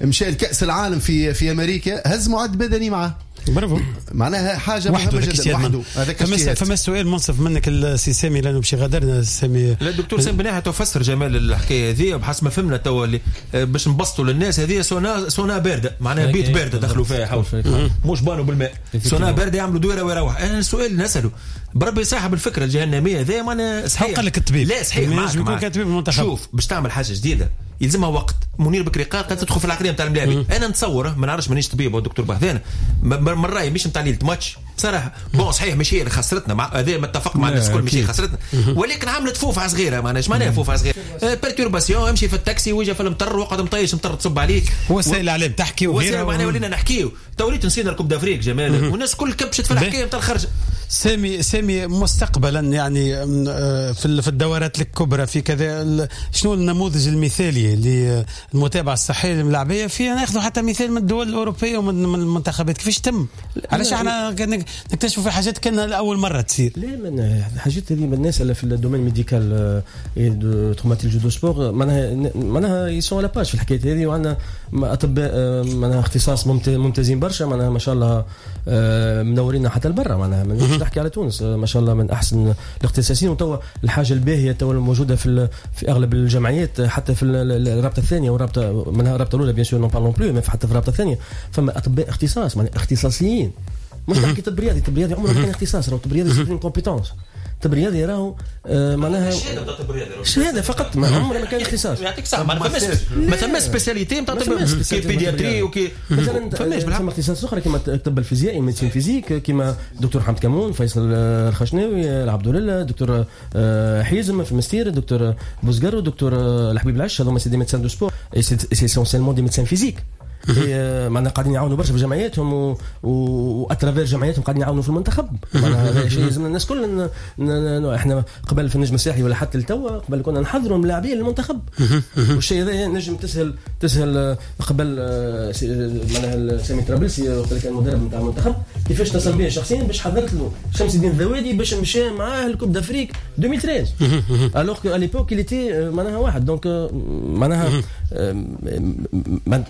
مشى لكأس العالم في في امريكا، هز معد بدني معه. برافو، معناها حاجة مهمة جدا وحده. هذاك فما فما سؤال منصف منك السي سامي لانه باش غادرنا سامي. لا الدكتور سامي بناها تفسر جمال الحكاية هذه بحسب ما فهمنا توا اللي باش نبسطوا للناس. هذه sauna sauna باردة معناها بيت باردة دخلوا فيها حول مش بانوا بالماء، سونا باردة يعملوا دويره ويروح. انا السؤال نساله بربي صاحب الفكرة الجهنميه هذه معناها صحيح؟ قال لك الطبيب لا صحيح معك. شوف باش تعمل حاجة جديدة يلزمها وقت. منير بكري قال قد تدخل في العقلية نتاع الملاعبين. انا نتصور ما نعرفش مانيش طبيب او دكتور بحذانا، من رايي مش نتاع ليلة ماتش بصراحة. bon صحيح مش هي اللي خسرتنا، مع هذا ما اتفق مع الناس الكل، مش هي خسرتنا، ولكن عملت فوفعه صغيرة. معناها ايش معناها فوفعه صغيرة؟ perturbation، امشي في التاكسي ويجي في المطر وقعد مطيش مطر تصب عليك. وسائل الاعلام تحكي وغيرها، معناها ولينا نحكيو توريت نسينا ال Coupe d'Afrique جمال، والناس الكل كبشت في الحكاية نتاع الخرجه. سامي سامي مستقبلا يعني في في الدورات الكبرى في كذا، شنو النموذج المثالي اللي المتابعة الصحية للملاعبيه في ناخذ حتى مثال من الدول الاوروبية ومن من المنتخبات كيفاش تم؟ علاش احنا نكتشفوا في حاجات كان لاول مرة تصير؟ لا من الحاجات هذه من الناس اللي في ال domaine médical de traumatologie du sport معناها معناها ils sont à la page في الحكاية هذه، وعندنا اطباء معناها اختصاص ممتازين برشا معناها ما شاء الله منورينا حتى لبرا معناها ما نجمش نحكي على تونس ما شاء الله من احسن الاختصاصيين. وتوا الحاجة الباهيه توا الموجودة في في اغلب الجمعيات حتى في الرابطة الثانية والرابطه منها الرابطة الاولى bien sûr n'en parlons plus، حتى في الرابطة الثانية فما اطباء اختصاص معناها اختصاصيين، مش نحكي طب رياضي، طب رياضي عمره ما كان اختصاص، راهو طب رياضي c'est compétence، طب رياضي راهو معناها شهادة طب رياضي شهادة فقط، ما عمره ما كان اختصاص. يعطيك صح، ما فماش ما ثماش spécialité نتاع طب كي pédiatrie وكي مثلا فماش فما اختصاص اخرى كيما الطب الفيزيائي médecine physique كيما دكتور حمد كمون، فيصل الخشناوي، العبد لله، دكتور حيزم في المستير، دكتور بوزقر، دكتور الحبيب العش، هذوما c'est des médecins du sport c'est essentiellement des médecins physiques معناها قاعدين يعاونوا برشا في جمعياتهم و à travers جمعياتهم قاعدين يعاونوا في المنتخب. معناها هذا شيء لازم الناس كل احنا قبل في النجم الساحلي ولا حتى لتوا قبل كنا نحضروا الملاعبين للمنتخب، والشيء هذا نجم تسهل تسهل قبل معناها سامي طرابلسي وقت اللي كان المدرب نتاع المنتخب كيفاش اتصل به شخصيا باش حضرت له شمس الدين الذوادي باش مشى معاه ال Coupe d'Afrique ألفين وثلاثة alors qu'à l'époque il était معناها واحد. donc معناها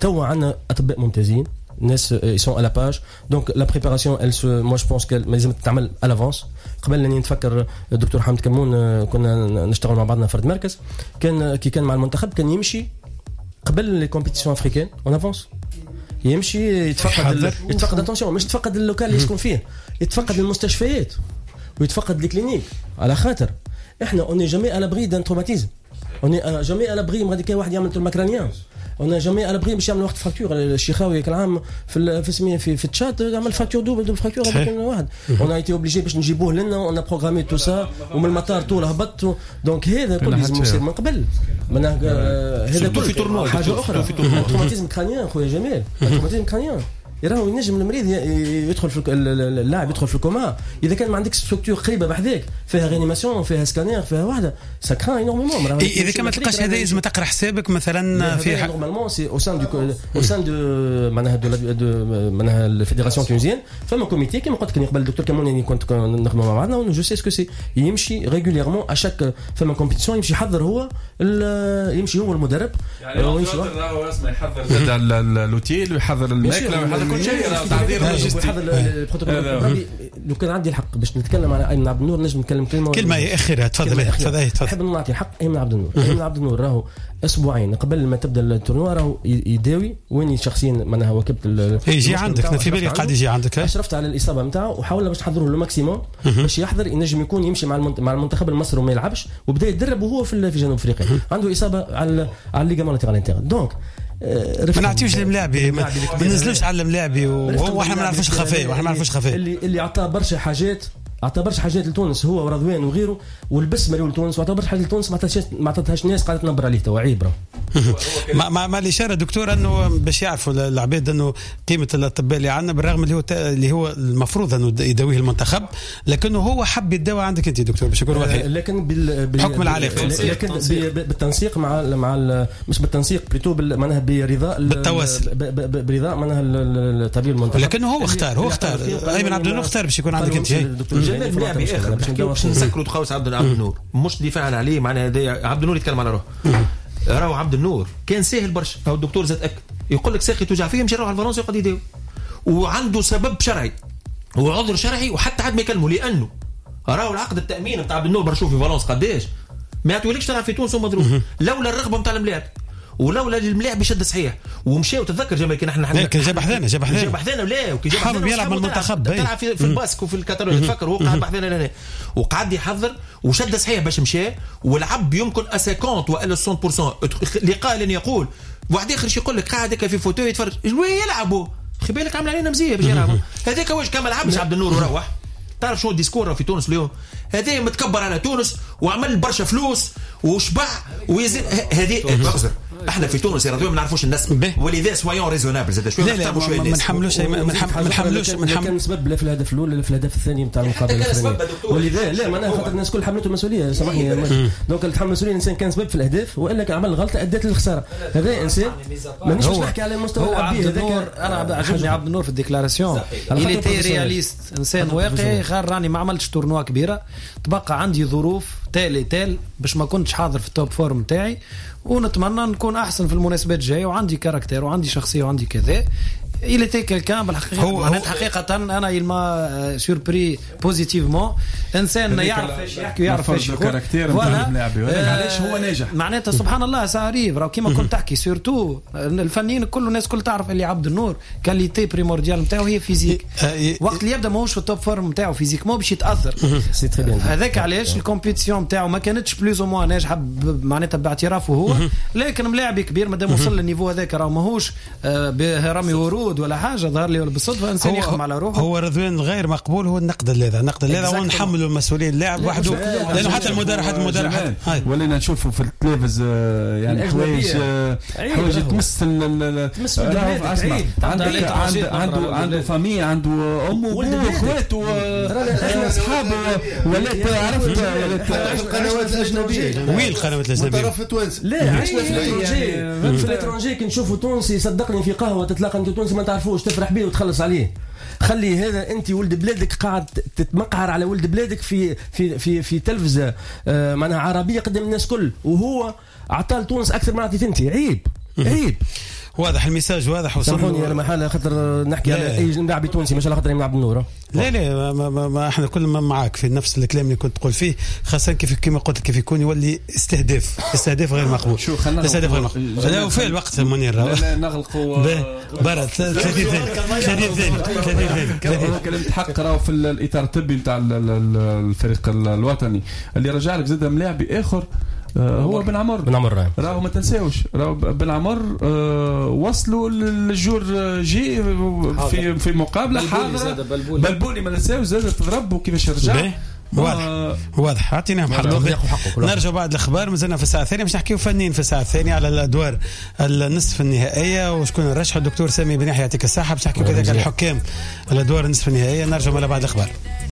توا عندنا اطباء ممتازين، الناس ils sont à la page، donc la préparation elle se moi je pense qu'elle لازم تتعمل à l'avance. قبل اني نتفكر الدكتور حمد كمون كنا نشتغل مع بعضنا فرد مركز، كان كي كان مع المنتخب كان يمشي قبل les compétitions africaines en avance، يمشي يتفقد يتفقد attention مش يتفقد ال local اللي يسكن فيه، يتفقد المستشفيات ويتفقد les cliniques، على خاطر احنا on n'est jamais à l'abri d'un traumatisme، on n'est jamais à l'abri غادي كاين واحد يعمل trauma crânien، on n'est jamais à l'abri باش يعمل واحد fracture. الشيخاوي كل عام في في سميه في, في التشات عمل fracture double double fracture هذاك واحد on a été obligé باش نجيبوه لنا، on a programmé tout ça ومن المطار طول هبط. donc هذا كل لازم يصير من قبل. هذا كل حاجة اخرى traumatisme crânien خويا جمال، traumatisme crânien راهو ينجم المريض يدخل في اللاعب يدخل في الكوما اذا كان ما عندكش structure قريبه بحذاك فيها réanimation فيها سكانير فيها واحدة ça craint énormément. اذا كان ما تلقاش هذا لازم تقرا حسابك مثلا في normalement c'est au sein du au sein de معناها de de معناها ال fédération tunisienne فما comité كيما قلت لك قبل الدكتور كمون كنت نخدموا مع بعضنا je sais ce que c'est يمشي régulièrement à chaque فما compétition يمشي يحضر هو يمشي هو المدرب يعني يحضر l'hôtel ويحضر الماكلة ويحضر كل شيء تعذير لوجستي. البروتوكول لو كان عندي الحق باش نتكلم على ايمن عبد النور نجم نتكلم كلمة كلمة اخيرة. تفضل تفضل تفضل. نحب نعطي الحق ايمن عبد النور. ايمن عبد النور راهو اسبوعين قبل ما تبدا ال tournoi راهو يداوي وين شخصيا معناها واكبت يجي عندك في بالي قاعد يجي عندك اشرفت على الاصابة نتاعو وحاولنا باش نحضروه le maximum باش يحضر ينجم يكون يمشي مع مع المنتخب المصري وما يلعبش وبدا يتدرب وهو في جنوب افريقيا عنده اصابه على على ال ligament latéral interne. donc ما نعطيوش للملاعبي ما ننزلوش على الملاعبي واحنا ما نعرفوش الخفايا واحنا ما نعرفوش الخفايا اللي اللي عطاه برشا حاجات عطى برشا حاجات لتونس هو ورضوان وغيره ولبس مريول لتونس وعطى برشا حاجات لتونس ما عطاتهاش ما عطاتهاش الناس قاعدة تنبر عليه توا عيب. مع مع, مع الاشارة دكتور انه باش يعرفوا العباد انه قيمة الاطباء اللي عندنا بالرغم اللي هو اللي هو المفروض انه يداويه المنتخب لكنه هو حب يداوي عندك انت دكتور باش يكون واضح لكن بال بحكم العلاقة لكن بالتنسيق مع مع مش بالتنسيق plutôt معناها برضاء بالتواصل برضاء معناها الطبيب المنتخب لكنه هو اختار هو اختار ايمن عبد النور اختار باش يكون عندك انت. جمال ملاعبي اخر باش نسكروا تخوس عبد عبد النور مش دفاعا عليه معناها عبد النور يتكلم على روحه. راهو عبد النور كان ساهل برشا هو الدكتور زاد اكد يقول لك ساقي توجع فيه يمشي يروح على فرنسا يقعد يداوي وعنده سبب شرعي وعذر شرعي وحتى حد ما يكلمه لانه راهو العقد التامين نتاع عبد النور برشو في فالونس قداش ما يعطيولكش تلعب في تونس ومضروب لولا الرغبة نتاع الملاعب ولولا الملاعب يشد صحيح ومشى وتذكر جمال كي نحن جاب حذانا جاب حذانا جاب حذانا ولا وكي جاب حذانا يلعب مع المنتخب تلعب في, في الباسك وفي الكاتالونيا تفكر هو قعد بحذانا لهنا وقعد يحضر وشد صحيح باش مشى ولعب يمكن خمسين والا مية بالمية لقاء لن يقول واحد اخر يقول لك قاعد هكا في fauteuil يتفرج وين يلعبوا خي بالك عامل علينا مزية باش يلعبوا هذاك واش كان ما لعبش عبد النور وروح. تعرف شنو ال discours في تونس اليوم هذا متكبر على تونس وعمل برشا فلوس وشبع ويزيد هذه اعذر احنا في تونس يا رضوان ما نعرفوش النسب، ولذا soyons raisonnables زاد شوية، لا لا ما نحملوش ما نحملوش ما كان سبب لا في الهدف الاول ولا في الهدف الثاني نتاع المقابلة الاخرانية، ولذا لا معناها خاطر الناس الكل حملته المسؤولية، سامحني donc اللي تحمل المسؤولية الانسان كان سبب في الاهداف والا كان عمل غلطه ادت للخساره، هذا انسان مانيش باش نحكي على مستوى العبد النور. انا عجبني عبد النور في ال déclaration، il était réaliste، انسان واقعي، غير راني ما عملتش tournoi كبيرة، تبقى عندي ظروف telle telle باش ما كنتش حاضر في ال top forme تاعي، ونتمنى نكون احسن في المناسبات الجاية، وعندي caractère وعندي شخصية وعندي كذا. il était quelqu'un بالحقيقة، معناتها حقيقة انا il m'a surpris positivement، انسان يعرف ايش يحكي ويعرف ايش يقول، علاش هو ناجح معناتها سبحان الله ça arrive. راهو كيما كنت تحكي surtout الفنيين كل الناس كل تعرف اللي عبد النور qualité primordiale نتاعو هي physique، وقت اللي يبدا ماهوش في ال top forme نتاعو physiquement باش يتاثر، هذاك علاش ال compétition نتاعو ما كانتش plus ou moins ناجحة معناتها باعترافه هو، لكن ملاعب كبير مادام وصل لل niveau هذاك راهو ماهوش بهرمي ورود ولا حاجة ظهر لي ولا بالصدفة، انسان يخدم على روحه. هو رضوان غير مقبول هو النقد هذا، النقد هذا ونحملوا المسؤولية اللاعب وحده، لانه حتى المدرب حتى المدرب ولينا نشوفوا في التلفز يعني حوايج حوايج تمس تمس عنده عنده عنده famille، عنده امه واخواته اصحابه، ولات عرفت ولات القنوات الاجنبية وين القنوات الاجنبية طرف تونس، لا عشنا في l'étranger، في l'étranger كي نشوفوا تونسي صدقني في قهوة تتلاقى انت تونسي ما تعرفوش تفرح بيه وتخلص عليه. خلي هذا انت ولد بلادك قاعد تتمقعر على ولد بلادك في في في في تلفزه آه معناها عربية قدام الناس كل، وهو عطى لتونس اكثر ما عطيت انت. عيب عيب. واضح ال message واضح. سامحوني انا محل خاطر نحكي على اي لاعب تونسي مش على خاطر عبد النور. لا لا ما ما ما احنا كلنا معاك في نفس الكلام اللي كنت تقول فيه، خاصة كيف كما قلت كيف يكون يولي استهداف، استهداف غير مقبول. شو خلينا استهداف غير مقبول. لا وفي الوقت منير لا نغلقوا برا ثلاثين ثانية ثلاثين ثانية ثلاثين ثانية. كلمة حق راهو في الاطار الطبي نتاع الفريق الوطني اللي رجع لك زاد ملاعب اخر هو بن عمر. بن عمر راهو ما تنساوش راهو بن عمر وصلوا لل jour J في في مقابله حاضره بلبولي ما ننساوش زاد تضرب وكيفاش رجع. واضح واضح اعطيناهم حقهم. نرجع بعد الاخبار، مازلنا في الساعة الثانية باش نحكيو فنيين في الساعة الثانية على الادوار النصف النهائية وشكون الرشح. الدكتور سامي بن يحيى يعطيك الصحة باش نحكيو كذلك على الحكام الادوار النصف النهائية. نرجع على بعد الاخبار.